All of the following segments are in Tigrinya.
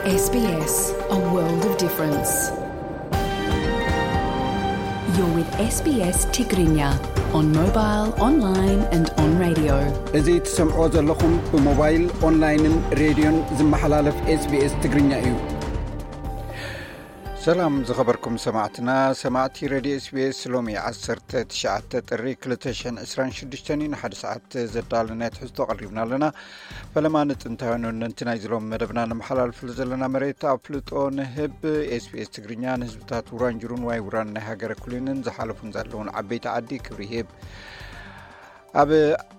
S B S, a world of difference. You're with S B S Tigrinya on mobile, online and on radio. እዚ ትሰምዕዎ ዘለኹም ብሞባይል፣ ኦንላይንን ሬድዮን ዝመሓላለፍ SBS ትግርኛ እዩ። ሰላም ዝኸበርኩም ሰማዕትና፣ ሰማዕቲ ሬድዮ SBS። ሎሚ ዓሰርተ ትሽዓተ ጥሪ ክልተ ሽሕን ዕስራን ሽዱሽተን እዩ። ንሓደ ሰዓት ዘዳለናዮ ትሕዝቶ ኣቕሪብና ኣለና። ፈለማ ንጥንታውያን ወነንቲ ናይ ዝሎም መደብና ነመሓላልፍሉ ዘለና መሬት ኣፍልጦ ንህብ። SBS ትግርኛ ንህዝብታት ውራንጅሩን ዋይ ውራን ናይ ሃገረ ኩሊንን ዝሓለፉን ዘለውን ዓበይቲ ዓዲ ክብሪ ይህብ። ኣብ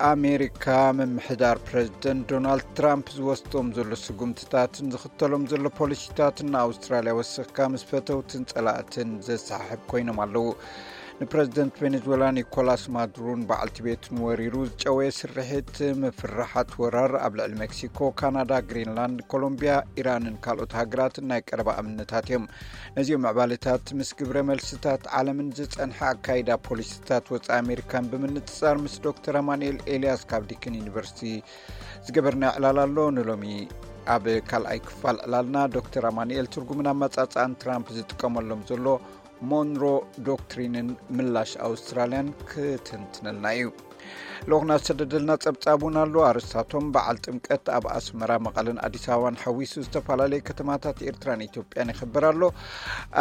ኣሜሪካ ምምሕዳር ፕረዚደንት ዶናልድ ትራምፕ ዝወስዶም ዘሎ ስጉምትታትን ዝኽተሎም ዘሎ ፖሊሲታትን ንኣውስትራልያ ወሰኽካ ምስ ፈተውትን ጸላእትን ዘሰሓሕብ ኮይኖም ኣለዉ። ንፕረዚደንት ቬኔዙዌላ ኒኮላስ ማዱሮን በዓልቲ ቤቱን ወሪሩ ዝጨወየ ስርሒት ምፍርሓት ወራር ኣብ ልዕሊ ሜክሲኮ፣ ካናዳ፣ ግሪንላንድ፣ ኮሎምቢያ፣ ኢራንን ካልኦት ሃገራትን ናይ ቀረባ ኣብነታት እዮም። ነዚኦም ምዕባለታት ምስ ግብረ መልስታት ዓለምን ዝጸንሐ ኣካይዳ ፖሊሲታት ወጻኢ ኣሜሪካን ብምንጽጻር ምስ ዶክተር ኣማኑኤል ኤልያስ ካብ ዲክን ዩኒቨርሲቲ ዝገበርና ዕላል ኣሎ። ንሎሚ ኣብ ካልኣይ ክፋል ዕላልና ዶክተር ኣማኑኤል ትርጉምን ኣመጻጽኣን ትራምፕ ዝጥቀመሎም ዘሎ ሞንሮ ዶክትሪንን ምላሽ ኣውስትራልያን ክትንትነልና እዩ። ልኡኽና ዝተደደልና ጸብጻብ እውን ኣሎ። ኣርስታቶም በዓል ጥምቀት ኣብ ኣስመራ፣ መቐለን ኣዲስ ኣበባን ሓዊሱ ዝተፈላለየ ከተማታት ኤርትራን ኢትዮጵያን ይኽበር ኣሎ።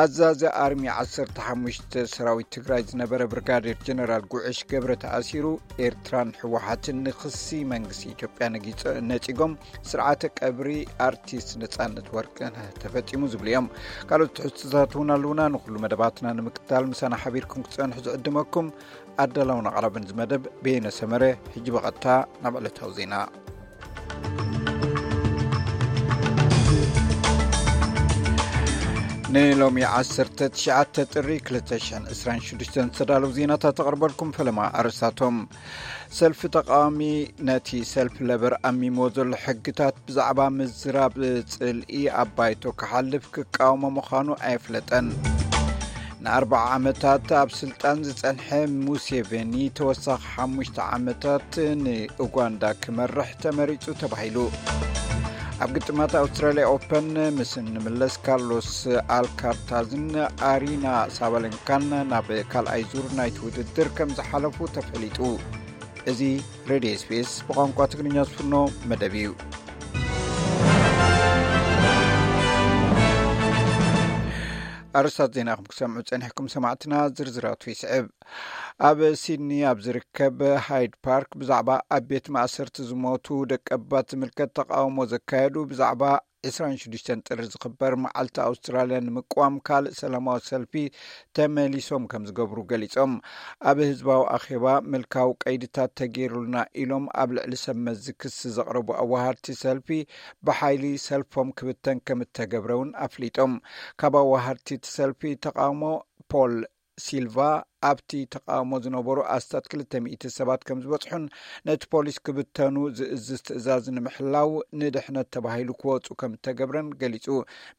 ኣዛዚ ኣርሚ ዓሰርተ ሓሙሽተ ሰራዊት ትግራይ ዝነበረ ብርጋዴር ጀነራል ጉዕሽ ገብረ ተኣሲሩ። ኤርትራን ህወሓትን ንኽሲ መንግስቲ ኢትዮጵያ ነጊጸ-፣ ነጺጎም። ስርዓተ ቀብሪ ኣርቲስት ነጻነት ወርቅነህ ተፈጺሙ ዝብሉ እዮም። ካልኦት ትሕዝቶታት እውን ኣለዉና። ንኹሉ መደባትና ንምክትታል ምሳና ሓቢርኩም ክትጸንሑ ዝዕድመኩም ኣዳላውን ኣቕራብን እዚ መደብ በየነ ሰመረ። ሕጂ ብቐጥታ ናብ ዕለታዊ ዜና። ንሎሚ ዓሰርተ ትሽዓተ ጥሪ ክልተ ሽሕን ዕስራን ሽዱሽተን ዝተዳለዉ ዜናታት ተቕርበልኩም። ፈለማ ኣርእስታቶም። ሰልፊ ተቃዋሚ ነቲ ሰልፊ ለበር ኣሚሞ ዘሎ ሕግታት ብዛዕባ ምዝራብ ጽልኢ ኣብ ባይቶ ክሓልፍ ክቃወሞ ምዃኑ ኣየፍለጠን። ንኣርባዓ ዓመታት ኣብ ስልጣን ዝጸንሐ ሙሴቬኒ ተወሳኺ ሓሙሽተ ዓመታት ንኡጋንዳ ክመርሕ ተመሪጹ ተባሂሉ። ኣብ ግጥማት ኣውስትራልያ ኦፐን ምስ እንምለስ ካርሎስ ኣልካርታዝን ኣሪና ሳባለንካን ናብ ካልኣይ ዙር ናይቲ ውድድር ከም ዝሓለፉ ተፈሊጡ። እዚ ሬድዮ SBS ብቋንቋ ትግርኛ ዝፍኖ መደብ እዩ። ኣርእስታት ዜና ከም ክሰምዑ ጸኒሕኩም ሰማዕትና፣ ዝርዝራቱ ይስዕብ። ኣብ ሲድኒ ኣብ ዝርከብ ሃይድ ፓርክ ብዛዕባ ኣብ ቤት ማእሰርቲ ዝሞቱ ደቀባት ዝምልከት ተቃውሞ ዘካየዱ ብዛዕባ ዕስራን ሽዱሽተን ጥሪ ዝኽበር መዓልቲ ኣውስትራልያ ንምቅዋም ካልእ ሰላማዊ ሰልፊ ተመሊሶም ከም ዝገብሩ ገሊጾም። ኣብ ህዝባዊ ኣኼባ ምልካዊ ቀይድታት ተገይሩልና ኢሎም ኣብ ልዕሊ ሰብ መዚ ክሲ ዘቕረቡ ኣዋሃድቲ ሰልፊ ብሓይሊ ሰልፎም ክብተን ከም እተገብረ እውን ኣፍሊጦም። ካብ ኣዋሃድቲ እቲ ሰልፊ ተቃውሞ ፖል ሲልቫ ኣብቲ ተቃውሞ ዝነበሩ ኣስታት ክልተ ሚእቲ ሰባት ከም ዝበጽሑን ነቲ ፖሊስ ክብተኑ ዝእዝዝ ትእዛዝ ንምሕላው ንድሕነት ተባሂሉ ክወጹ ከም እተገብረን ገሊጹ።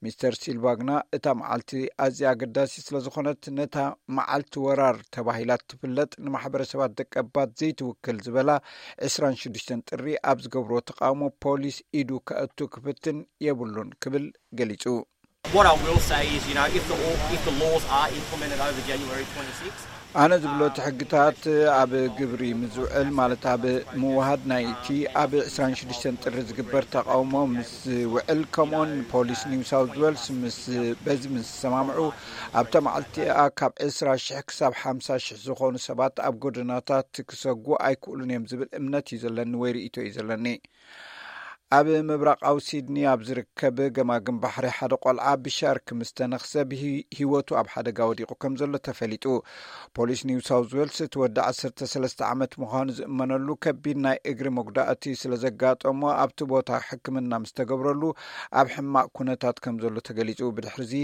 ሚስተር ሲልቫ ግና እታ መዓልቲ ኣዝያ ኣገዳሲ ስለ ዝኾነት ነታ መዓልቲ ወራር ተባሂላ ትፍለጥ ንማሕበረሰባት ደቀባት ዘይትውክል ዝበላ ዕስራን ሽዱሽተን ጥሪ ኣብ ዝገብርዎ ተቃውሞ ፖሊስ ኢዱ ከእቱ ክፍትን የብሉን ክብል ገሊጹ። What I will say is, you know, if the law, if the laws are implemented over January twenty-sixth, ኣነ ዝብሎ እቲ ሕግታት ኣብ ግብሪ ምስ ዝውዕል፣ ማለት ኣብ ምውሃድ ናይቲ ኣብ ዕስራን ሽዱሽተን ጥሪ ዝግበር ተቃውሞ ምስ ዝውዕል፣ ከምኡውን ፖሊስ ኒው ሳውዝ ዌልስ ምስ፣ በዚ ምስ ዝሰማምዑ፣ ኣብታ መዓልቲ እቲኣ ካብ ዕስራ ሽሕ ክሳብ ሓምሳ ሽሕ ዝኾኑ ሰባት ኣብ ጎደናታት ክሰጉ ኣይክእሉን እዮም ዝብል እምነት እዩ ዘለኒ ወይ ርእይቶ እዩ ዘለኒ። ኣብ ምብራቓዊ ሲድኒ ኣብ ዝርከብ ገማግም ባሕሪ ሓደ ቆልዓ ብሻርክ ምስ ተነኽሰ ብሂ-፣ ህይወቱ ኣብ ሓደጋ ወዲቑ ከም ዘሎ ተፈሊጡ። ፖሊስ ኒው ሳውዝ ዌልስ እቲ ወዲ ዓሰርተ ሰለስተ ዓመት ምዃኑ ዝእመነሉ ከቢድ ናይ እግሪ መጉዳእቲ ስለ ዘጋጠሞ ኣብቲ ቦታ ሕክምና ምስ ተገብረሉ ኣብ ሕማቕ ኩነታት ከም ዘሎ ተገሊጹ። ብድሕሪዚ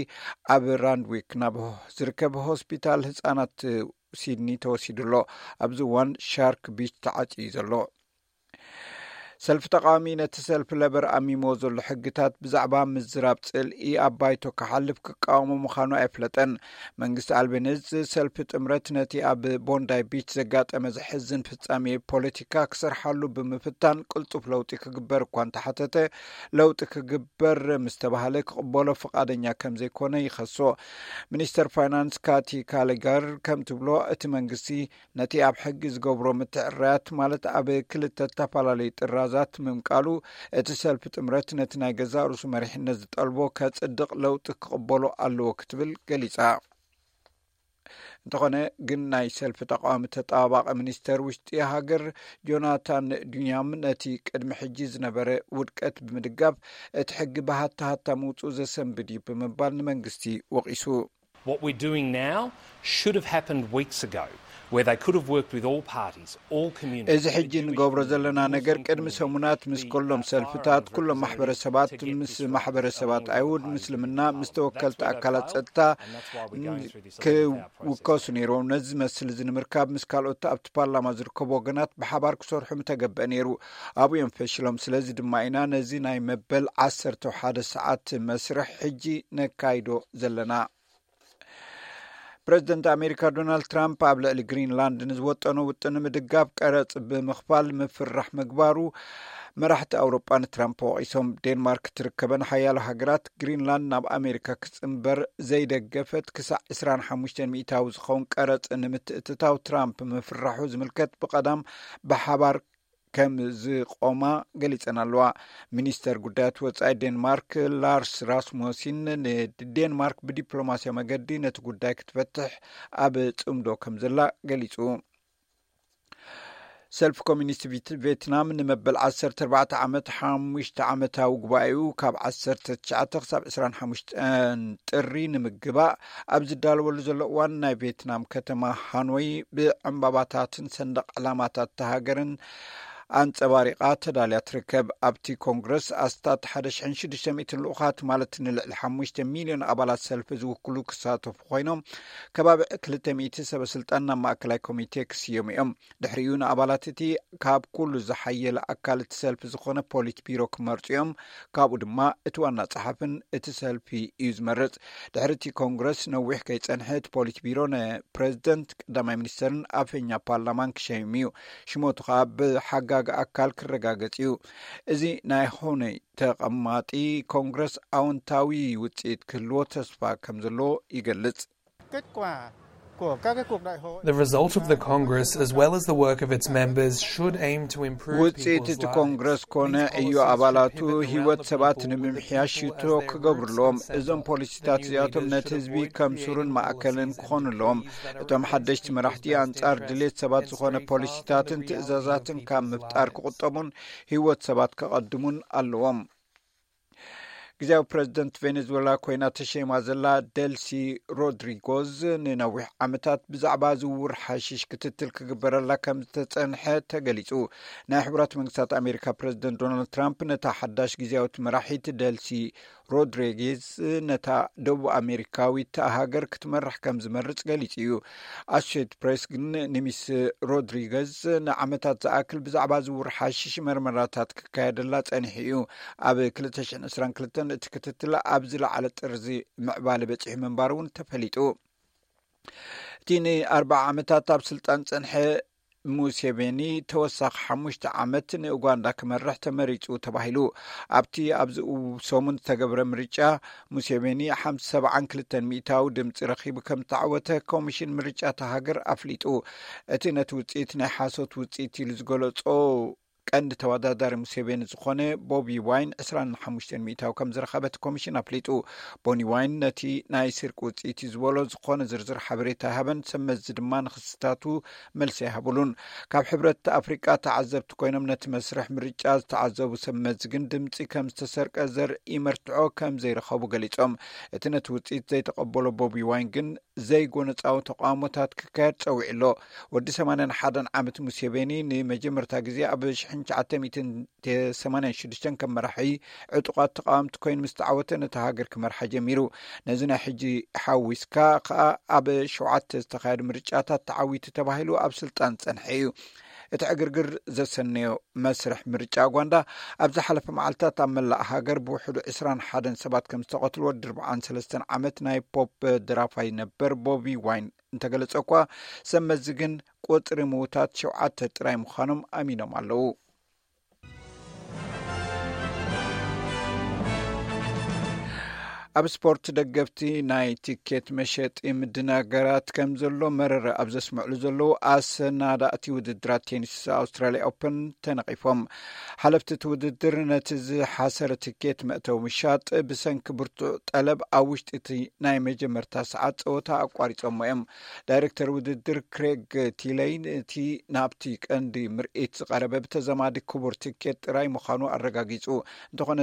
ኣብ ራንድዊክ ናብ ዝርከብ ሆስፒታል ህጻናት ሲድኒ ተወሲዱ ኣሎ። ኣብዚ እዋን ሻርክ ቢች ተዓጽዩ እዩ ዘሎ። ሰልፊ ተቃዋሚ ነቲ ሰልፊ ለበር ኣሚሞ ዘሎ ሕግታት ብዛዕባ ምዝራብ ጽልኢ ኣብ ባይቶ ክሓልፍ ክቃወሞ ምዃኑ ኣይፍለጠን። መንግስቲ ኣልቤኒዝ ሰልፊ ጥምረት ነቲ ኣብ ቦንዳይ ቢች ዘጋጠመ ዘሕዝን ፍጻሜ ፖለቲካ ክሰርሓሉ ብምፍታን ቅልጡፍ ለውጢ ክግበር እኳ እንተሓተተ፣ ለውጢ ክግበር ምስ ተባሃለ ክቕበሎ ፍቓደኛ ከም ዘይኮነ ይኸሶ። ሚኒስተር ፋይናንስ ካቲ ካለጋር ከም ትብሎ፣ እቲ መንግስቲ ነቲ ኣብ ሕጊ ዝገብሮ ምትዕርራያት፣ ማለት ኣብ ክልተ ዝተፈላለዩ ጥራዛት ምምቃሉ፣ እቲ ሰልፊ ጥምረት ነቲ ናይ ገዛእ ርእሱ መሪሕነት ዝጠልቦ ከጽድቕ ለውጢ ክቕበሎ ኣለዎ ክትብል ገሊጻ። እንተኾነ ግን ናይ ሰልፊ ተቃዋሚ ተጣባባቂ ሚኒስተር ውሽጢ ሃገር ጆናታን ዱኛም ነቲ ቅድሚ ሕጂ ዝነበረ ውድቀት ብምድጋፍ እቲ ሕጊ ብሃታ ሃታ ምውፅኡ ዘሰንብድ እዩ ብምባል ንመንግስቲ ወቒሱ። What we're doing now should have happened weeks ago, where they could have worked with all parties, all communities. እዚ ሕጂ ንገብሮ ዘለና ነገር ቅድሚ ሰሙናት ምስ ኩሎም ሰልፍታት፣ ኩሎም ማሕበረሰባት፣ ምስ ማሕበረሰባት ኣይሁድ፣ ምስልምና፣ ምስ ተወከልቲ ኣካላት ጸጥታ ክውከሱ ነይሮም። ነዚ ዝመስል እዚ ንምርካብ ምስ ካልኦት ኣብቲ ፓርላማ ዝርከቡ ወገናት ብሓባር ክሰርሑ ምተገበአ ነይሩ። ኣብኡ እዮም ፈሽሎም። ስለዚ ድማ ኢና ነዚ ናይ መበል ዓሰርተ ሓደ ሰዓት መስርሕ ሕጂ ነካይዶ ዘለና። ፕረዚደንት ኣሜሪካ ዶናልድ ትራምፕ ኣብ ልዕሊ ግሪንላንድ ንዝወጠኖ ውጥን ንምድጋፍ ቀረጽ ብምኽፋል ምፍራሕ ምግባሩ መራሕቲ ኣውሮጳ ንትራምፕ ወቒሶም። ዴንማርክ ትርከበን ሓያሎ ሃገራት ግሪንላንድ ናብ ኣሜሪካ ክጽንበር ዘይደገፈት ክሳዕ ዕስራን ሓሙሽተን ሚእታዊ ዝኸውን ቀረጽ ንምትእትታው ትራምፕ ምፍራሑ ዝምልከት ብቐዳም ብሓባር ከም ዝቆማ ገሊጸን ኣለዋ። ሚኒስተር ጉዳያት ወጻኢ ዴንማርክ ላርስ ራስሙሲን ንዴንማርክ ብዲፕሎማስያዊ መገዲ ነቲ ጉዳይ ክትፈትሕ ኣብ ጽምዶ ከም ዘላ ገሊጹ። ሰልፊ ኮሚኒስት ቪት-፣ ቬትናም ንመበል ዓሰርተ ኣርባዕተ ዓመት ሓሙሽተ ዓመታዊ ጉባኤኡ ካብ ዓሰርተ ትሽዓተ ክሳብ ዕስራን ሓሙሽተን ጥሪ ንምግባእ ኣብ ዝዳለወሉ ዘሎ እዋን፣ ናይ ቬትናም ከተማ ሃኖይ ብዕምባባታትን ሰንደቕ ዕላማታት እታ ሃገርን ኣንጸባሪቓ ተዳልያ ትርከብ። ኣብቲ ኮንግረስ ኣስታት ሓደ ሽሕን ሽዱሽተ ሚእትን ልኡኻት፣ ማለት ንልዕሊ ሓሙሽተ ሚልዮን ኣባላት ሰልፊ ዝውክሉ ክሳተፉ ኮይኖም፣ ከባቢ ክልተ ሚእቲ ሰበ ስልጣን ናብ ማእከላይ ኮሚቴ ክስየሙ እዮም። ድሕሪኡ ንኣባላት እቲ ካብ ኩሉ ዝሓየለ ኣካል እቲ ሰልፊ ዝኾነ ፖሊት ቢሮ ክመርጹ እዮም። ካብኡ ድማ እቲ ዋና ጸሓፍን እቲ ሰልፊ እዩ ዝመርጽ። ድሕሪ እቲ ኮንግረስ ነዊሕ ከይጸንሐ፣ እቲ ፖሊት ቢሮ ንፕረዚደንት፣ ቀዳማይ ሚኒስተርን ኣፈኛ ፓርላማን ክሸይም እዩ። ሽሞቱ ከኣ ብሓጋጊ ኣካል ክረጋገጽ እዩ። እዚ ናይ ሆነይ ተቐማጢ ኮንግረስ ኣወንታዊ ውጽኢት ክህልዎ ተስፋ ከም ዘለዎ ይገልጽ። Kết quả của các cái cuộc đại hội The result of the Congress, as well as the work of its members, should aim to improve ውፅኢት people's እቲ ኮንግረስ ኮነ ዕዮ ኣባላቱ ህይወት ሰባት ንምምሕያሽ ሽቶ ክገብሩ ኣለዎም። እዞም ፖሊሲታት እዚኣቶም ነቲ ህዝቢ ከም ሱርን ማእከልን ክኾኑ ኣለዎም። እቶም ሓደሽቲ መራሕቲ ኣንጻር ድሌት ሰባት ዝኾነ ፖሊሲታትን ትእዛዛትን ካብ ምፍጣር ክቑጠቡን ህይወት ሰባት ከቐድሙን ኣለዎም። ግዜያዊ ፕረዚደንት ቬኔዙዌላ ኮይና ተሸይማ ዘላ ደልሲ ሮድሪጎዝ ንነዊሕ ዓመታት ብዛዕባ ዝውውር ሓሽሽ ክትትል ክግበረላ ከም ዝተጸንሐ ተገሊጹ። ናይ ሕቡራት መንግስታት ኣሜሪካ ፕረዚደንት ዶናልድ ትራምፕ ነታ ሓዳሽ ግዜያዊት መራሒት ደልሲ ሮድሪጌዝ ነታ ደቡብ ኣሜሪካዊት ሃገር ክትመርሕ ከም ዝመርጽ ገሊጹ እዩ። ኣሶሼትድ ፕሬስ ግን ንሚስ ሮድሪገዝ ንዓመታት ዝኣክል ብዛዕባ ዝውውር ሓሽሽ መርመራታት ክካየደላ ጸኒሑ እዩ። ኣብ ክልተ ሽሕን ዕስራን ክልተን እቲ ክትትል ኣብ ዝለዓለ ጥርዚ ምዕባለ በጺሑ ምንባሩ እውን ተፈሊጡ። እቲ ንኣርባዓ ዓመታት ኣብ ስልጣን ጸንሐ ሙሴቬኒ ተወሳኺ ሓሙሽተ ዓመት ንኡጋንዳ ክመርሕ ተመሪጹ ተባሂሉ። ኣብቲ ኣብዚ ሰሙን ዝተገብረ ምርጫ ሙሴቬኒ ሓምሳ ሰብዓን ክልተን ሚእታዊ ድምፂ ረኺቡ ከም ዝተዓወተ ኮሚሽን ምርጫ እታ ሃገር ኣፍሊጡ። እቲ ነቲ ውፅኢት ናይ ሓሶት ውፅኢት ኢሉ ዝገለጾ ቀንዲ ተወዳዳሪ ሙሴቬኒ ዝኾነ ቦቢ ዋይን ዕስራን ሓሙሽተን ሚእታዊ ከም ዝረኸበ እቲ ኮሚሽን ኣፍሊጡ። ቦኒ ዋይን ነቲ ናይ ስርቂ ውፅኢት እዩ ዝበሎ ዝኾነ ዝርዝር ሓበሬታ ኣይሃበን። ሰብ መዚ ድማ ንክስታቱ መልሲ ኣይሃብሉን። ካብ ሕብረት ኣፍሪቃ ተዓዘብቲ ኮይኖም ነቲ መስርሕ ምርጫ ዝተዓዘቡ ሰብ መዚ ግን ድምፂ ከም ዝተሰርቀ ዘርኢ መርትዖ ከም ዘይረኸቡ ገሊጾም። እቲ ነቲ ውፅኢት ዘይተቐበሎ ቦቢ ዋይን ግን ዘይጎነፃዊ ተቃውሞታት ክካየድ ጸዊዑ ኣሎ። ወዲ ሰማንያን ሓደን ዓመት ሙሴቬኒ ንመጀመርታ ግዜ ኣብ ሽሕን ትሽዓተ ሚእትን ሰማንያን ሽዱሽተን ከም መራሒ ዕጡቓት ተቃወምቲ ኮይኑ ምስ ተዓወተ ነታ ሃገር ክመርሓ ጀሚሩ። ነዚ ናይ ሕጂ ሓዊስካ ከኣ ኣብ ሸውዓተ ዝተኻየዱ ምርጫታት ተዓዊቱ ተባሂሉ ኣብ ስልጣን ዝጸንሐ እዩ። እቲ ዕግርግር ዘሰነዮ መስርሕ ምርጫ ኡጋንዳ፣ ኣብ ዝሓለፈ መዓልታት ኣብ መላእ ሃገር ብውሕዱ ዕስራን ሓደን ሰባት ከም ዝተቐትልዎ፣ ድርብዓን ሰለስተን ዓመት ናይ ፖፕ ደራፋይ ነበር ቦቢ ዋይን እንተገለጸ እኳ፣ ሰብ መዚ ግን ቁጽሪ ምዉታት ሸውዓተ ጥራይ ምዃኖም ኣሚኖም ኣለዉ። ኣብ ስፖርት፣ ደገፍቲ ናይ ቲኬት መሸጢ ምድናገራት ከም ዘሎ መረረ ኣብ ዘስምዕሉ ዘለዉ፣ ኣሰናዳእቲ ውድድራት ቴኒስ ኣውስትራልያ ኦፐን ተነቒፎም። ሓለፍቲ እቲ ውድድር፣ ነቲ ዝሓሰረ ቲኬት መእተዊ ምሻጥ ብሰንኪ ብርቱዕ ጠለብ፣ ኣብ ውሽጢ እቲ ናይ መጀመርታ ሰዓት ጸወታ ኣቋሪጾሞ እዮም። ዳይሬክተር ውድድር ክሬግ ቲለይ፣ እቲ ናብቲ ቀንዲ ምርኢት ዝቐረበ ብተዘማዲ ክቡር ቲኬት ጥራይ ምዃኑ ኣረጋጊጹ። እንተኾነ፣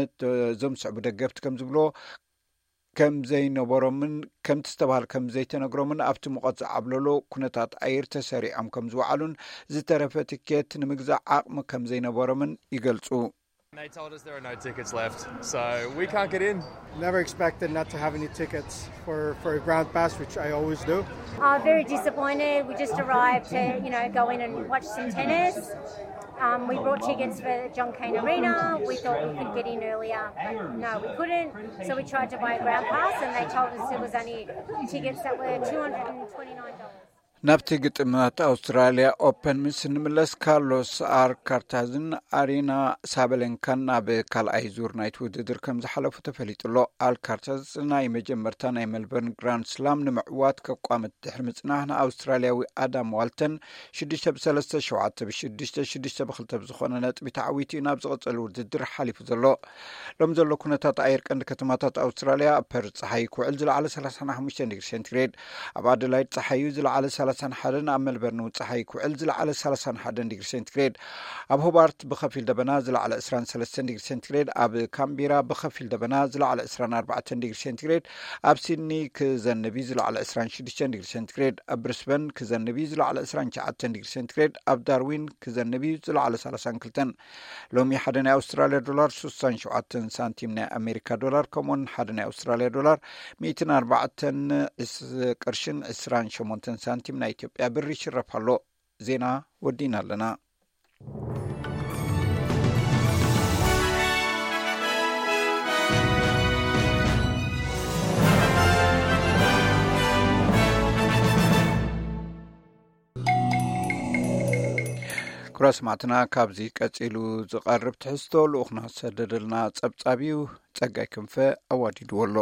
እዞም ዝስዕቡ ደገፍቲ ከም ዝብሎ፣ ከም ዘይነበሮምን ከምቲ ዝተባህለ ከም ዘይተነግሮምን፣ ኣብቲ ሙቐት ዝዓብለሎ ኩነታት ኣየር ተሰሪዖም ከም ዝወዓሉን፣ ዝተረፈ ቲኬት ንምግዛእ ዓቕሚ ከም ዘይነበሮምን ይገልጹ። They told us there are no tickets left, so we can't get in. Never expected not to have any tickets for, for a ground pass, which I always do. Are very disappointed. We just arrived to, you know, go in and watch some tennis. Um, we brought tickets for John Cain Arena. We thought we could get in earlier, but no, we couldn't. So we tried to buy a ground pass, and they told us there was only tickets that were two hundred and twenty-nine dollars. ናብቲ ግጥማት ኣውስትራልያ ኦፐን ምስ እንምለስ፣ ካርሎስ ኣልካርታዝን ኣሪና ሳበለንካን ናብ ካልኣይ ዙር ናይቲ ውድድር ከም ዝሓለፉ ተፈሊጡ ኣሎ። ኣልካርታዝ ናይ መጀመርታ ናይ ሜልበርን ግራንድ ስላም ንምዕዋት ከቋምት ድሕሪ ምጽናሕ፣ ንኣውስትራልያዊ ኣዳም ዋልተን ሽዱሽተ ብሰለስተ፣ ሸውዓተ ብሽዱሽተ፣ ሽዱሽተ ብክልተ ብዝኾነ ነጥቢ ተዓዊቱ እዩ ናብ ዝቕጽል ውድድር ሓሊፉ ዘሎ። ሎም ዘሎ ኩነታት ኣየር ቀንዲ ከተማታት ኣውስትራልያ፣ ኣብ ፐርዝ ጸሓይ ክውዕል ዝለዓለ ሰላሳን ሓሙሽተን ዲግሪ ሴንቲግሬድ፣ ኣብ ኣደላይድ ጸሓዩ ዝለዓለ ሰላሳን ሓደን፣ ኣብ ሜልበርን እውን ጸሓይ ክውዕል ዝለዓለ ሰላሳን ሓደን ዲግሪ ሴንቲግሬድ፣ ኣብ ሆባርት ብኸፊል ደበና ዝለዓለ ዕስራን ሰለስተን ዲግሪ ሴንቲግሬድ፣ ኣብ ካምቢራ ብኸፊል ደበና ዝለዓለ ዕስራን ኣርባዕተን ዲግሪ ሴንቲግሬድ፣ ኣብ ሲድኒ ክዘንብ እዩ ዝለዓለ ዕስራን ሽዱሽተን ዲግሪ ሴንቲግሬድ፣ ኣብ ብሪስበን ክዘንብ እዩ ዝለዓለ ዕስራን ትሽዓተን ዲግሪ ሴንቲግሬድ፣ ኣብ ዳርዊን ክዘንብ እዩ ዝለዓለ ሰላሳን ክልተን። ሎሚ ሓደ ናይ ኣውስትራልያ ዶላር ስሳን ሸውዓተን ሳንቲም ናይ ኣሜሪካ ዶላር፣ ከምኡውን ሓደ ናይ ኣውስትራልያ ዶላር ሚእትን ኣርባዕተን ቅርሽን ዕስራን ሸሞንተን ሳንቲም ናይ ኢትዮጵያ ብር ይሽረፍ ኣሎ። ዜና ወዲና ኣለና። ክቡራት ሰማዕትና፣ ካብዚ ቀጺሉ ዝቐርብ ትሕዝቶ ልኡኽና ዝሰደደልና ጸብጻብ እዩ። ጸጋይ ክንፈ ኣዋዲድዎ ኣሎ።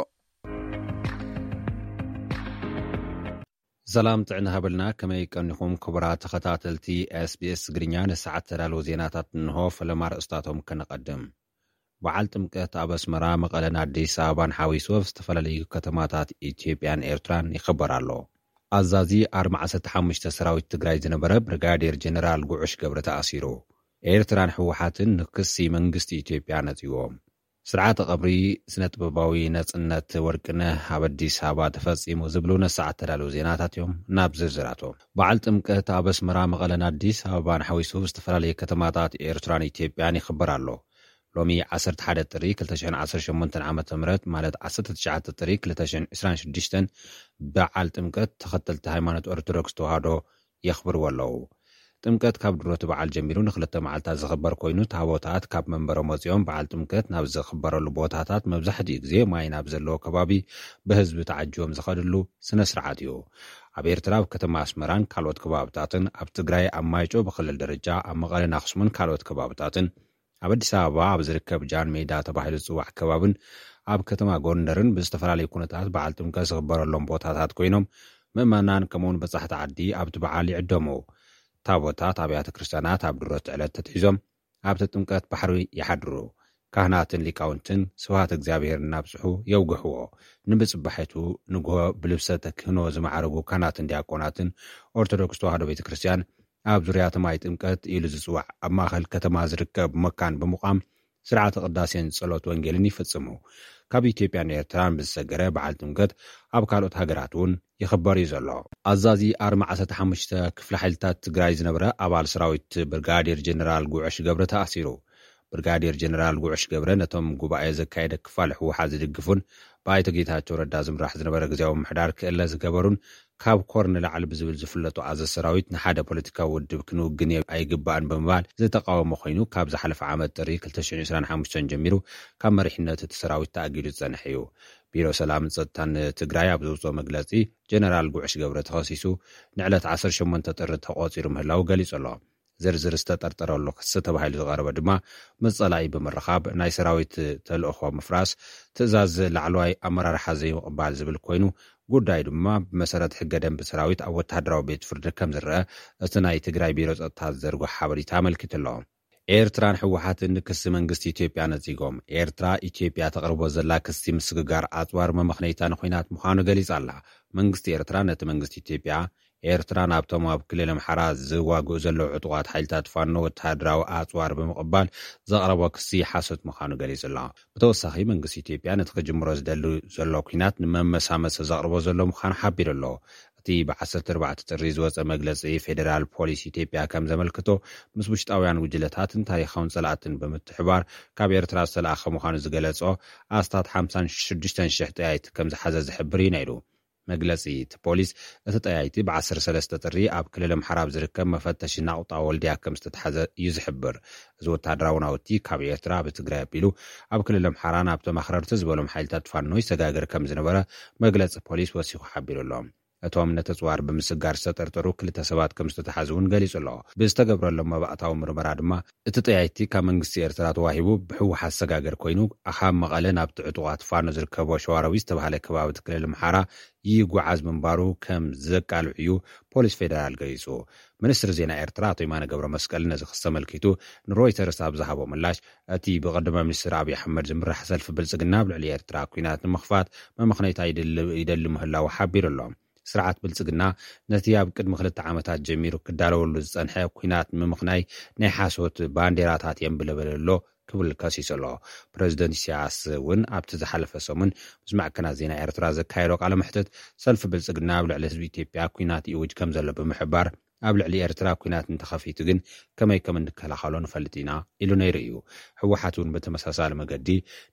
ሰላም ጥዕና ሃበልና፣ ከመይ ቀኒኹም ክቡራት ተኸታተልቲ ኤስ ቢ ኤስ ትግርኛ? ንሰዓት ተዳለዉ ዜናታት እንሆ። ፈለማ ርእስታቶም ከነቐድም። በዓል ጥምቀት ኣብ ኣስመራ፣ መቐለን ኣዲስ ኣበባን ሓዊሱ ኣብ ዝተፈላለዩ ከተማታት ኢትዮጵያን ኤርትራን ይኽበር ኣሎ። ኣዛዚ ኣርማ ዓሰርተ ሓሙሽተ ሰራዊት ትግራይ ዝነበረ ብርጋዴር ጀነራል ጉዑሽ ገብረ ተኣሲሩ። ኤርትራን ህወሓትን ንክሲ መንግስቲ ኢትዮጵያ ነጺዎም። ስርዓተ ቀብሪ ስነ ጥበባዊ ነጽነት ወርቅነህ ኣብ ኣዲስ ኣበባ ተፈጺሙ ዝብሉ ነሰዓት ተዳለዉ ዜናታት እዮም። ናብ ዝርዝራቶም። በዓል ጥምቀት ኣብ ኣስመራ፣ መቐለን ኣዲስ ኣበባን ሓዊሱ ዝተፈላለዩ ከተማታት ኤርትራን ኢትዮጵያን ይኽበር ኣሎ። ሎሚ ዓሰርተ ሓደ ጥሪ ክልተ ሽሕን ዓሰርተ ሸሞንተን ዓመተ ምህረት፣ ማለት ዓሰርተ ትሽዓተ ጥሪ ክልተ ሽሕን ዕስራን ሽዱሽተን፣ በዓል ጥምቀት ተኸተልቲ ሃይማኖት ኦርቶዶክስ ተዋህዶ የኽብርዎ ኣለዉ። ጥምቀት ካብ ድሮ እቲ በዓል ጀሚሩ ንክልተ መዓልታት ዝኽበር ኮይኑ፣ ታቦታት ካብ መንበሮም ወጺኦም በዓል ጥምቀት ናብ ዝኽበረሉ ቦታታት፣ መብዛሕትኡ ግዜ ማይ ናብ ዘለዎ ከባቢ ብህዝቢ ተዓጂቦም ዝኸድሉ ስነ ስርዓት እዩ። ኣብ ኤርትራ፣ ኣብ ከተማ ኣስመራን ካልኦት ከባብታትን፣ ኣብ ትግራይ፣ ኣብ ማይጨው ብክልል ደረጃ፣ ኣብ መቐለን ኣኽሱምን ካልኦት ከባብታትን፣ ኣብ ኣዲስ ኣበባ ኣብ ዝርከብ ጃን ሜዳ ተባሂሉ ዝጽዋዕ ከባብን ኣብ ከተማ ጎንደርን ብዝተፈላለዩ ኩነታት በዓል ጥምቀት ዝኽበረሎም ቦታታት ኮይኖም፣ ምእመናን ከምኡውን በጻሕቲ ዓዲ ኣብቲ በዓል ይዕደሙ። ታቦታት ኣብያተ ክርስቲያናት ኣብ ድሮት ዕለት ተትሒዞም ኣብቲ ጥምቀት ባሕሪ ይሓድሩ። ካህናትን ሊቃውንትን ስብሐት እግዚኣብሔር እናብጽሑ የውግሕዎ። ንብጽባሒቱ ንግሆ ብልብሰ ተክህኖ ዝማዕረጉ ካህናትን ዲያቆናትን ኦርቶዶክስ ተዋህዶ ቤተ ክርስቲያን ኣብ ዙርያ እቲ ማይ ጥምቀት ኢሉ ዝጽዋዕ ኣብ ማእከል ከተማ ዝርከብ መካን ብምቋም ስርዓተ ቅዳሴን ጸሎት ወንጌልን ይፍጽሙ። ካብ ኢትዮጵያን ኤርትራን ብዝሰገረ በዓል ጥምቀት ኣብ ካልኦት ሃገራት እውን ይኽበር እዩ ዘሎ። ኣዛዚ ኣርማ ዓሰርተ ሓሙሽተ ክፍለ ሓይልታት ትግራይ ዝነበረ ኣባል ሰራዊት ብርጋዴር ጀነራል ጉዕሽ ገብረ ተኣሲሩ። ብርጋዴር ጀነራል ጉዕሽ ገብረ ነቶም ጉባኤ ዘካየደ ክፋል ህወሓት ዝድግፉን ብኣይተ ጌታቸው ረዳ ዝምራሕ ዝነበረ ግዜያዊ ምምሕዳር ክእለ ዝገበሩን ካብ ኮር ንላዕሊ ብዝብል ዝፍለጡ ኣዘ ሰራዊት ንሓደ ፖለቲካዊ ውድብ ክንውግን ኣይግባእን ብምባል ዝተቃወሞ ኮይኑ፣ ካብ ዝሓለፈ ዓመት ጥሪ ክልተ ሽሕን ዕስራን ሓሙሽተን ጀሚሩ ካብ መሪሕነት እቲ ሰራዊት ተኣጊዱ ዝጸንሐ እዩ። ቢሮ ሰላምን ጸጥታን ትግራይ ኣብ ዘውፅኦ መግለፂ፣ ጀነራል ጉዕሽ ገብረ ተኸሲሱ ንዕለት ዓሰርተ ሸሞንተ ጥሪ ተቖፂሩ ምህላው ገሊጹ ኣሎ። ዝርዝር ዝተጠርጠረሉ ክሲ ተባሂሉ ዝቐረበ ድማ ምስ ጸላኢ ብምርኻብ ናይ ሰራዊት ተልእኾ ምፍራስ፣ ትእዛዝ ላዕለዋይ ኣመራርሓ ዘይምቕባል ዝብል ኮይኑ፣ ጉዳይ ድማ ብመሰረት ሕገ ደንቢ ሰራዊት ኣብ ወተሃደራዊ ቤት ፍርዲ ከም ዝረአ እቲ ናይ ትግራይ ቢሮ ጸጥታ ዝዘርጎ ሓበሬታ ኣመልኪቱ ኣሎ። ኤርትራን ህወሓትን ክሲ መንግስቲ ኢትዮጵያ ነጺጎም። ኤርትራ ኢትዮጵያ ተቕርቦ ዘላ ክሲ ምስግጋር ኣጽዋር መመኽነይታ ንኹናት ምዃኑ ገሊጻ ኣላ። መንግስቲ ኤርትራ ነቲ መንግስቲ ኢትዮጵያ ኤርትራ ናብቶም ኣብ ክልል ኣምሓራ ዝዋግኡ ዘለዉ ዕጡቓት ሓይልታት ፋኖ ወተሃደራዊ ኣጽዋር ብምቕባል ዘቕረቦ ክሲ ሓሶት ምዃኑ ገሊጹ ኣሎ። ብተወሳኺ መንግስቲ ኢትዮጵያ ነቲ ክጅምሮ ዝደሊ ዘሎ ኲናት ንመመሳመሲ ዘቕርቦ ዘሎ ምዃኑ ሓቢሩ ኣሎ። እቲ ብ ዓሰርተ ኣርባዕተ ጥሪ ዝወጸ መግለጺ ፌደራል ፖሊስ ኢትዮጵያ ከም ዘመልክቶ፣ ምስ ውሽጣውያን ጉጅለታትን ታሪኻውን ጸላእትን ብምትሕባር ካብ ኤርትራ ዝተለኣኸ ምዃኑ ዝገለጾ ኣስታት ሓምሳን ሽዱሽተን ሽሕ ጠያይቲ ከም ዝሓዘ ዝሕብር እዩ ነይሩ። መግለጺ እቲ ፖሊስ፣ እቲ ጠያይቲ ብ ዓሰርተ ሰለስተ ጥሪ ኣብ ክልል ኣምሓራ ኣብ ዝርከብ መፈተሺ ናቑጣ ወልድያ ከም ዝተትሓዘ እዩ ዝሕብር። እዚ ወተሃደራዊ ናውቲ ካብ ኤርትራ ብትግራይ ኣቢሉ ኣብ ክልል ኣምሓራ ናብቶም ኣኽረርቲ ዝበሎም ሓይልታት ፋኖ ይሰጋገር ከም ዝነበረ መግለጺ ፖሊስ ወሲኹ ሓቢሩ ኣሎ። እቶም ነቲ ኣጽዋር ብምስጋር ዝተጠርጠሩ ክልተ ሰባት ከም ዝተተሓዙ እውን ገሊጹ ኣሎ። ብዝተገብረሎም መባእታዊ ምርመራ ድማ፣ እቲ ጠያይቲ ካብ መንግስቲ ኤርትራ ተዋሂቡ ብህወሓት ዝሰጋገር ኮይኑ፣ ካብ መቐለ ናብቲ ዕጡቓት ፋኖ ዝርከቦ ሸዋሮቢት ዝተባህለ ከባቢ ክልል ኣምሓራ ይጓዓዝ ምንባሩ ከም ዘቃልዕ እዩ ፖሊስ ፌደራል ገሊጹ። ሚኒስትሪ ዜና ኤርትራ ኣቶ የማነ ገብረ መስቀል ነዚ ክሲ ኣመልኪቱ ንሮይተርስ ኣብ ዝሃቦ ምላሽ፣ እቲ ብቀዳማይ ሚኒስትር ኣብይ ኣሕመድ ዝምራሕ ሰልፊ ብልጽግና ኣብ ልዕሊ ኤርትራ ኲናት ንምኽፋት መመኽነይታ ይደሊ፣ ይደሊ ምህላዉ ሓቢሩ ኣሎ። ስርዓት ብልጽግና ነቲ ኣብ ቅድሚ ክልተ ዓመታት ጀሚሩ ክዳለወሉ ዝጸንሐ ኲናት ንምኽናይ ናይ ሓሶት ባንዴራታት የንብለበለ ኣሎ ክብል ከሲሱ ኣሎ። ፕረዚደንት ኢሳያስ እውን ኣብቲ ዝሓለፈ ሰሙን ምስ ማዕከናት ዜና ኤርትራ ዘካየዶ ቃለ መሕትት፣ ሰልፊ ብልጽግና ኣብ ልዕሊ ህዝቢ ኢትዮጵያ ኲናት ይእውጅ ከም ዘሎ ብምሕባር፣ ኣብ ልዕሊ ኤርትራ ኲናት እንተኸፊቱ ግን ከመይ ከም እንከላኸሎ ንፈልጥ ኢና ኢሉ ነይሩ እዩ። ህወሓት እውን ብተመሳሳሊ መገዲ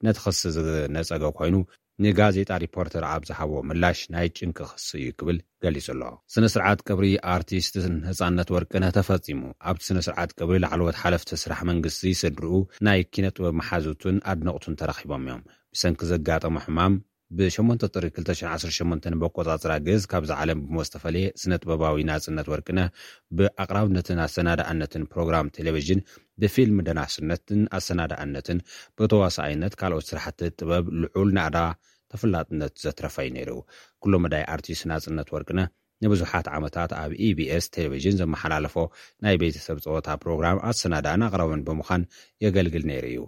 ነቲ ክሲ ዝነጸገ ኮይኑ፣ ንጋዜጣ ሪፖርተር ኣብ ዝሃቦ ምላሽ ናይ ጭንቂ ክሲ እዩ ክብል ገሊጹ ኣሎ። ስነ ስርዓት ቀብሪ ኣርቲስት ነጻነት ወርቅነህ ተፈጺሙ። ኣብቲ ስነ ስርዓት ቀብሪ ላዕለዎት ሓለፍቲ ስራሕ መንግስቲ፣ ስድርኡ፣ ናይ ኪነ ጥበብ መሓዙቱን ኣድነቕቱን ተረኺቦም እዮም። ብሰንኪ ዘጋጠሞ ሕማም ብ ሸሞንተ ጥሪ ክልተ ሽሕን ዓሰርተ ሸሞንተን ብኣቆጻጽራ ግእዝ ካብዛ ዓለም ብሞት ዝተፈለየ ስነ ጥበባዊ ናጽነት ወርቅነህ ብኣቕራብነትን ኣሰናዳእነትን ፕሮግራም ቴሌቪዥን፣ ብፊልም ደናስነትን ኣሰናዳእነትን፣ ብተዋሳኣይነት ካልኦት ስራሕቲ ጥበብ ልዑል ናእዳ ተፈላጥነት ዘትረፈ እዩ ነይሩ። ኩሎ መዳይ ኣርቲስት ናጽነት ወርቅነህ ንብዙሓት ዓመታት ኣብ ኢቢኤስ ቴሌቪዥን ዘመሓላለፎ ናይ ቤተሰብ ጸወታ ፕሮግራም ኣሰናዳእን ኣቕራብን ብምዃን የገልግል ነይሩ እዩ።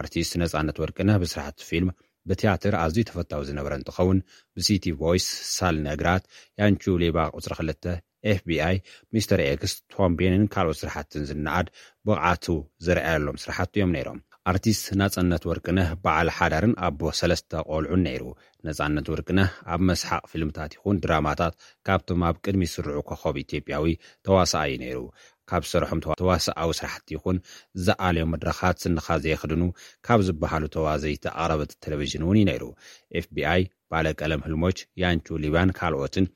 ኣርቲስት ነጻነት ወርቅነህ ብስራሕቲ ፊልም፣ ብትያትር ኣዝዩ ተፈታዊ ዝነበረ እንትኸውን፣ ብሲቲ ቮይስ፣ ሳል ነግራት፣ ያንቹ ሌባ ቁጽሪ ክልተ፣ ኤፍቢኣይ፣ ሚስተር ኤክስ፣ ቶም ቤንን ካልኦት ስራሕትን ዝነኣድ ብቕዓቱ ዝረኣየሎም ስራሕቲ እዮም ነይሮም። ኣርቲስት ናጽነት ወርቅነህ በዓል ሓዳርን ኣቦ ሰለስተ ቆልዑን ነይሩ። ነጻነት ወርቅነህ ኣብ መስሓቕ ፊልምታት ይኹን ድራማታት ካብቶም ኣብ ቅድሚ ስርዑ ኮኸብ ኢትዮጵያዊ ተዋሳኣይ እዩ ነይሩ። ካብ ዝሰርሖም ተዋ-፣ ተዋሳኣዊ ስራሕቲ ይኹን ዝኣልዮ መድረኻት ስንኻ ዘየኽድኑ ካብ ዝበሃሉ ተዋዘይቲ ኣቕረብቲ ቴሌቪዥን እውን እዩ ነይሩ። ኤፍቢኣይ፣ ባለቀለም ህልሞች፣ ያንቹ ሊባን ካልኦትን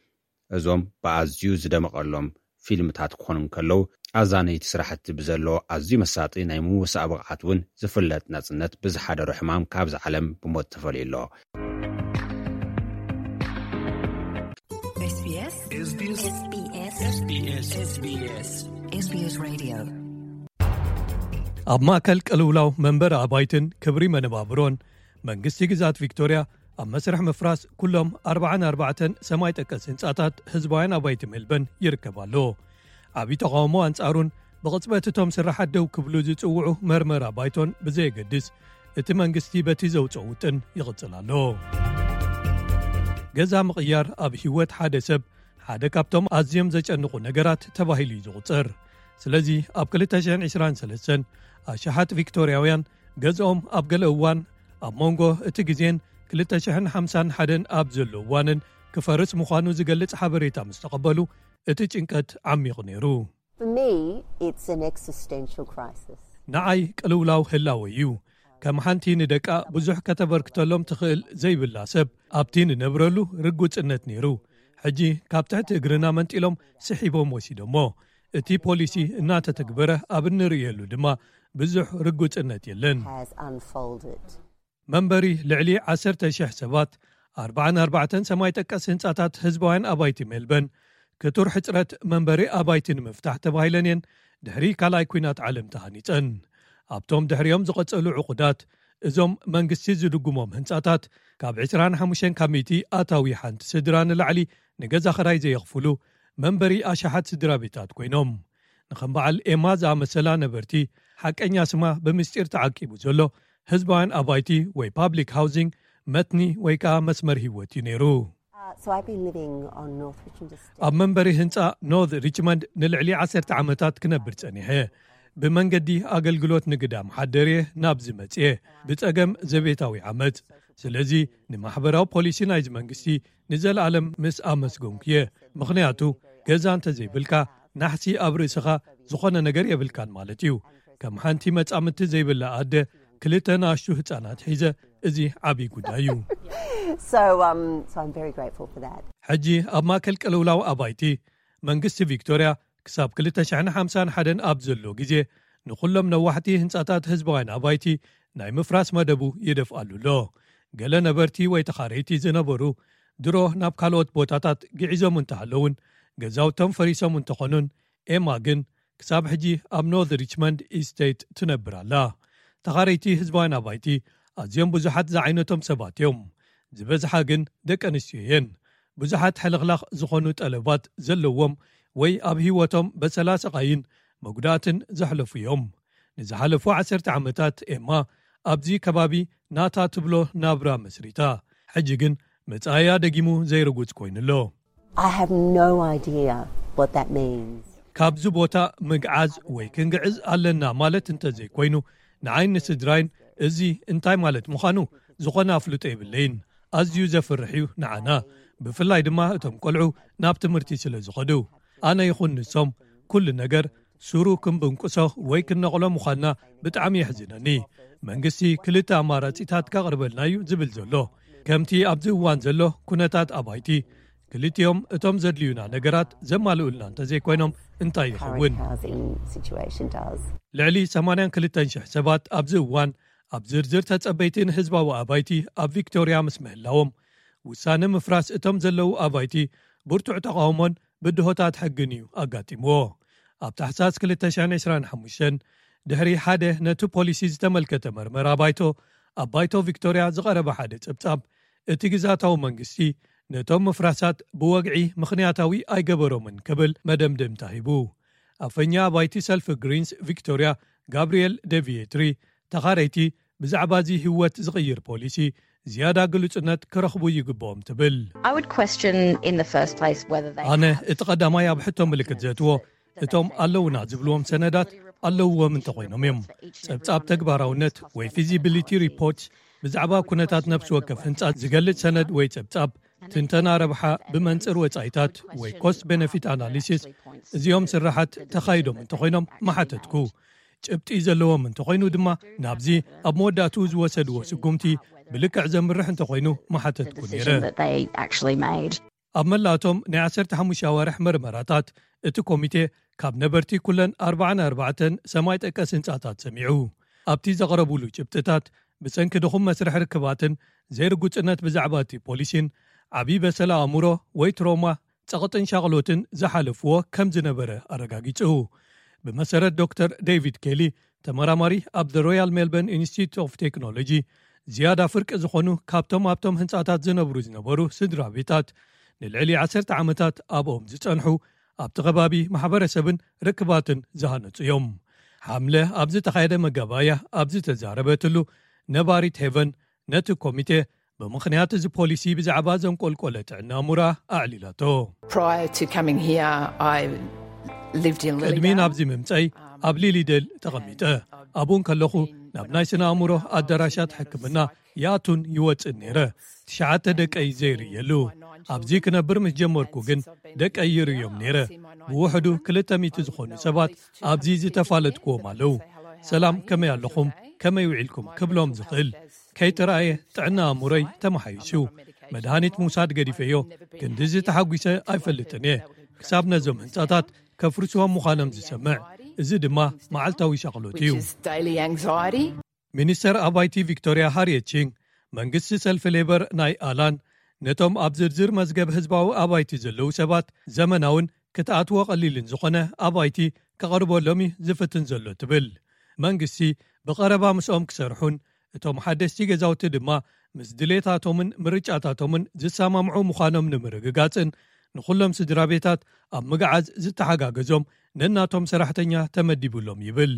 እዞም ብኣዝዩ ዝደመቐሎም ፊልምታት ክኾኑ እንከለዉ፣ ኣዛነይቲ ስራሕቲ ብዘለዎ ኣዝዩ መሳጢ ናይ ምውሳእ ብቕዓት እውን ዝፍለጥ ናጽነት ብዝሓደሮ ሕማም ካብዚ ዓለም ብሞት ተፈልዩ ኣሎ። SBS SBS SBS SBS SBS SBS Radio። ኣብ ማእከል ቅልውላው መንበሪ ኣባይትን ክብሪ መነባብሮን፣ መንግስቲ ግዝኣት ቪክቶርያ ኣብ መስርሕ ምፍራስ ኩሎም ኣርባዓን ኣርባዕተን ሰማይ ጠቀስ ህንጻታት ህዝባውያን ኣባይቲ ሜልበርን ይርከብ ኣሎ። ዓቢ ተቓውሞ ኣንጻሩን ብቕጽበት እቶም ስራሓት ደው ክብሉ ዝጽውዑ መርመራ ባይቶን ብዘየገድስ፣ እቲ መንግስቲ በቲ ዘውጽኦ ውጥን ይቕጽል ኣሎ። ገዛ ምቕያር ኣብ ህይወት ሓደ ሰብ ሓደ ካብቶም ኣዝዮም ዘጨንቑ ነገራት ተባሂሉ እዩ ዝቑጸር። ስለዚ ኣብ ክልተ ሽሕን ዕስራን ሰለስተን ኣሽሓት ቪክቶርያውያን ገዝኦም ኣብ ገለ እዋን ኣብ መንጎ እቲ ግዜን ክልተ ሽሕን ሓምሳን ሓደን ኣብ ዘሎ እዋንን ክፈርስ ምዃኑ ዝገልጽ ሓበሬታ ምስ ተቐበሉ፣ እቲ ጭንቀት ዓሚቑ ነይሩ። For me, it's an existential crisis. ንዓይ ቅልውላው ህላወ እዩ። ከም ሓንቲ ንደቃ ብዙሕ ከተበርክተሎም ትኽእል ዘይብላ ሰብ ኣብቲ ንነብረሉ ርጉጽነት ነይሩ። ሕጂ ካብ ትሕቲ እግርና መንጢሎም ስሒቦም ወሲዶሞ። እቲ ፖሊሲ እናተተግበረ ኣብ እንርእየሉ ድማ ብዙሕ ርጉጽነት የለን። Has unfolded. መንበሪ ልዕሊ ዓሰርተ ሽሕ ሰባት፣ ኣርባዓን ኣርባዕተን ሰማይ ጠቀስ ህንጻታት ህዝባውያን ኣባይቲ ሜልበን ክቱር ሕጽረት መንበሪ ኣባይቲ ንምፍታሕ ተባሂለን እየን ድሕሪ ካልኣይ ኲናት ዓለም ተሃኒጸን። ኣብቶም ድሕሪኦም ዝቐጸሉ ዕቑዳት፣ እዞም መንግስቲ ዝድጉሞም ህንጻታት ካብ ዕስራን ሓሙሽተን ካብ ሚእቲ ኣታዊ ሓንቲ ስድራ ንላዕሊ ንገዛ ኽራይ ዘየኽፍሉ መንበሪ ኣሽሓት ስድራ ቤታት ኮይኖም። ንኸም በዓል ኤማ ዝኣመሰላ ነበርቲ፣ ሓቀኛ ስማ ብምስጢር ተዓቂቡ ዘሎ ህዝባውያን ኣባይቲ ወይ ፓብሊክ ሃውሲንግ መትኒ ወይ ከኣ መስመር ህይወት እዩ ነይሩ። Uh, so I've been living on North Richmond Estate. ኣብ መንበሪ ህንጻ ኖርት ሪችመንድ ንልዕሊ ዓሰርተ ዓመታት ክነብር ጸኒሐ። ብመንገዲ ኣገልግሎት ንግዳም ሓደርየ ናብዚ መጽየ፣ ብጸገም ዘቤታዊ ዓመጽ። ስለዚ ንማሕበራዊ ፖሊሲ ናይዚ መንግስቲ ንዘለኣለም ምስ ኣመስገንኩየ። ምኽንያቱ ገዛ እንተዘይብልካ ናሕሲ ኣብ ርእስኻ ዝኾነ ነገር የብልካን ማለት እዩ። ከም ሓንቲ መጻምድቲ ዘይብላ ኣደ ክልተ ንኣሽቱ ህጻናት ሒዘ፣ እዚ ዓብዪ ጉዳይ እዩ። So, um, so I'm very grateful for that. ሕጂ ኣብ ማእከል ቅልውላው ኣባይቲ መንግስቲ ቪክቶርያ ክሳብ ክልተ ሽሕን ሓምሳን ሓደን ኣብ ዘሎ ግዜ ንኹሎም ነዋሕቲ ህንጻታት ህዝባውያን ኣባይቲ ናይ ምፍራስ መደቡ ይደፍኣሉ ኣሎ። ገለ ነበርቲ ወይ ተኻረይቲ ዝነበሩ ድሮ ናብ ካልኦት ቦታታት ግዒዞም እንተሃለውን ገዛውቶም ፈሪሶም እንተኾኑን ኤማ ግን ክሳብ ሕጂ ኣብ ኖርት ሪችመንድ ኢስቴት ትነብር ኣላ። ተኻረይቲ ህዝባውያን ኣባይቲ ኣዝዮም ብዙሓት ዝዓይነቶም ሰባት እዮም። ዝበዝሓ ግን ደቂ ኣንስትዮ እየን። ብዙሓት ሕልኽላኽ ዝኾኑ ጠለባት ዘለዎም ወይ ኣብ ህይወቶም በሰላ ስቓይን መጉዳእትን ዘሕለፉ እዮም። ንዝሓለፉ ዓሰርተ ዓመታት ኤማ ኣብዚ ከባቢ ናታ ትብሎ ናብራ መስሪታ። ሕጂ ግን መጻኢያ ደጊሙ ዘይርጉጽ ኮይኑ ኣሎ። I have no idea what that means. ካብዚ ቦታ ምግዓዝ ወይ ክንግዕዝ ኣለና ማለት እንተዘይኮይኑ፣ ንዓይን ንስድራይን እዚ እንታይ ማለት ምዃኑ ዝኾነ ኣፍልጦ የብለይን። ኣዝዩ ዘፍርሕ እዩ ንዓና፣ ብፍላይ ድማ እቶም ቆልዑ ናብ ትምህርቲ ስለ ዝኸዱ። ኣነ ይኹን ንሶም ኩሉ ነገር ሱሩ ክንብንቁሶ ወይ ክንነቕሎ ምዃንና ብጣዕሚ የሕዝነኒ። መንግስቲ ክልተ ኣማራጺታት ከቕርበልና እዩ ዝብል ዘሎ። ከምቲ ኣብዚ እዋን ዘሎ ኩነታት ኣባይቲ፣ ክልቲኦም እቶም ዘድልዩና ነገራት ዘማልኡልና እንተዘይኮይኖም እንታይ ይኸውን? Current housing situation does. ልዕሊ ሰማንያን ክልተን ሽሕ ሰባት ኣብዚ እዋን ኣብ ዝርዝር ተጸበይቲ ንህዝባዊ ኣባይቲ ኣብ ቪክቶርያ ምስ ምህላዎም፣ ውሳነ ምፍራስ እቶም ዘለዉ ኣባይቲ ብርቱዕ ተቓውሞን ብድሆታት ሕግን እዩ ኣጋጢምዎ። ኣብ ታሕሳስ ክልተ ሽሕን ዕስራን ሓሙሽተን፣ ድሕሪ ሓደ ነቲ ፖሊሲ ዝተመልከተ መርመራ ባይቶ ኣብ ባይቶ ቪክቶርያ ዝቐረበ ሓደ ጸብጻብ፣ እቲ ግዛታዊ መንግስቲ ነቶም ምፍራሳት ብወግዒ ምኽንያታዊ ኣይገበሮምን ክብል መደምደምታ ሂቡ። ኣፈኛ ኣባይቲ ሰልፊ ግሪንስ ቪክቶርያ ጋብርኤል ደቪየትሪ፣ ተኻረይቲ ብዛዕባ እዚ ህይወት ዝቕይር ፖሊሲ ዝያዳ ግሉጽነት ክረኽቡ ይግብኦም ትብል። I would question in the first place whether they ኣነ have እቲ ቀዳማይ ኣብ ሕቶ ምልክት ዘእትዎ እቶም ኣለውና ዝብልዎም ሰነዳት ኣለውዎም እንተኾይኖም እዮም። ጸብጻብ ተግባራውነት ወይ ፊዚቢሊቲ ሪፖርት ብዛዕባ ኩነታት ነፍሲ ወከፍ ህንጻ ዝገልጽ ሰነድ ወይ ጸብጻብ ትንተና ረብሓ ብመንጽር ወጻኢታት ወይ ኮስት ቤነፊት ኣናሊሲስ እዚኦም ስራሓት ተኻይዶም እንተኾይኖም ምሓተትኩ። ጭብጢ ዘለዎም እንተኾይኑ ድማ ናብዚ ኣብ መወዳእትኡ ዝወሰድዎ ስጉምቲ ብልክዕ ዘምርሕ እንተኾይኑ ምሓተትኩ ነይረ። Decision that they actually made. ኣብ መላእቶም ናይ ዓሰርተ ሓሙሽተ ኣዋርሕ መርመራታት እቲ ኮሚቴ ካብ ነበርቲ ኩለን ኣርባዓን ኣርባዕተን ሰማይ ጠቀስ ህንጻታት ሰሚዑ። ኣብቲ ዘቕረቡሉ ጭብጥታት ብሰንኪ ድኹም መስርሕ ርክባትን ዘይርጉጽነት ብዛዕባ እቲ ፖሊሲን ዓብዪ በሰላ ኣእምሮ ወይ ትሮማ ጸቕጥን ሻቕሎትን ዝሓለፍዎ ከም ዝነበረ ኣረጋጊጹ። ብመሰረት ዶክተር ዴቪድ ኬሊ፣ ተመራማሪ ኣብ The Royal Melbourne Institute of Technology፣ ዝያዳ ፍርቂ ዝኾኑ ካብቶም ኣብቶም ህንጻታት ዝነብሩ ዝነበሩ ስድራ ቤታት ንልዕሊ ዓሰርተ ዓመታት ኣብኦም ዝጸንሑ ኣብቲ ከባቢ ማሕበረሰብን ርክባትን ዝሃነጹ እዮም። ሓምለ ኣብ ዝተኻየደ መጋባእያ ኣብ ዝተዛረበትሉ፣ ነባሪት ሄቨን ነቲ ኮሚቴ ብምኽንያት እዚ ፖሊሲ ብዛዕባ ዘንቆልቆለ ጥዕና ኣእምሮኣ ኣዕሊላቶ። Prior to coming here, I lived in ቅድሚ Lilydale. ናብዚ ምምፀይ ኣብ ሊሊደል ተቐሚጠ። ኣብኡ እንከለኹ ናብ ናይ ስነ ኣእምሮ ኣዳራሻት ሕክምና ይኣቱን ይወፅእን ነይረ። ትሽዓተ ደቀይ ዘይርእየሉ። ኣብዚ ክነብር ምስ ጀመርኩ ግን ደቀይ ይርእዮም ነይረ። ብውሕዱ ክልተ ሚእቲ ዝኾኑ ሰባት ኣብዚ ዝተፋለጥክዎም ኣለዉ። ሰላም፣ ከመይ ኣለኹም? ከመይ ውዒልኩም? ክብሎም ዝኽእል። ከይተረኣየ ጥዕና ኣእምሮይ ተመሓይሹ። መድሃኒት ምውሳድ ገዲፈዮ፣ ክንድዚ ተሓጒሰ ኣይፈልጥን እየ። ክሳብ ነዞም ህንጻታት ከፍርስዎም ምዃኖም ዝሰምዕ፣ እዚ ድማ መዓልታዊ ሻቕሎት እዩ። Which is daily anxiety. ሚኒስተር ኣባይቲ ቪክቶርያ ሃሪየት ቺንግ፣ መንግስቲ ሰልፊ ሌበር ናይ ኣላን ነቶም ኣብ ዝርዝር መዝገብ ህዝባዊ ኣባይቲ ዘለዉ ሰባት ዘመናውን ክትኣትዎ ቀሊልን ዝኾነ ኣባይቲ ከቕርበሎም እዩ ዝፍትን ዘሎ ትብል። መንግስቲ ብቐረባ ምስኦም ክሰርሑን እቶም ሓደስቲ ገዛውቲ ድማ ምስ ድሌታቶምን ምርጫታቶምን ዝሰማምዑ ምዃኖም ንምርግጋጽን ንኹሎም ስድራ ቤታት ኣብ ምግዓዝ ዝተሓጋገዞም ነናቶም ሰራሕተኛ ተመዲቡሎም ይብል።